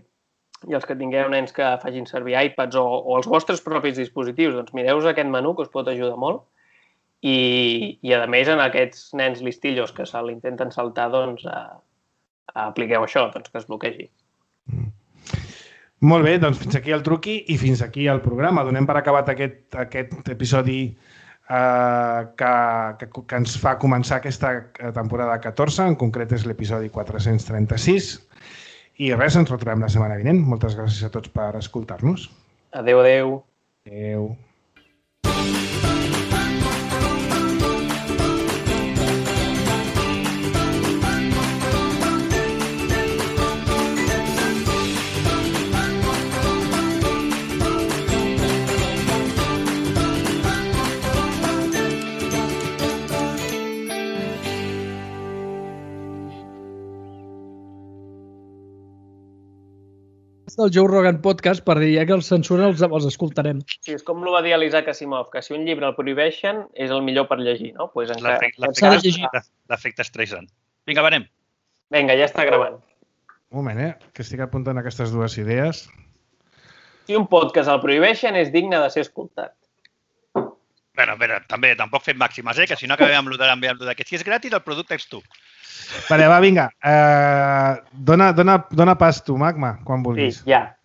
i els que tingueu nens que facin servir iPads o els vostres propis dispositius, doncs mireu aquest menú que us pot ajudar molt i a més en aquests nens listillos que se l'intenten saltar, doncs apliqueu això, doncs que es bloquegi. Molt bé, doncs fins aquí el truqui i fins aquí el programa. Donem per acabat aquest episodi que ens fa començar aquesta temporada 14, en concret és l'episodi 436. I res, ens retrobem la setmana vinent. Moltes gràcies a tots per escoltar-nos. Adéu, adéu. Adéu. Del Joe Rogan Podcast per dir que els censuren els escoltarem. Sí, és com ho va dir l'Isaac Asimov, que si un llibre el prohibeixen és el millor per llegir, no? L'efecte Streisand. Vinga, va, anem. Vinga, ja està gravant. Un moment, que estic apuntant aquestes dues idees. Si un podcast el prohibeixen és digne de ser escoltat. Bueno, també, tampoc fem màximes, que si no acabem amb el que si és gratis el producte ets tu. Vale, va, vinga. Dona pas tu, Magma, quan vulguis. Sí, ja.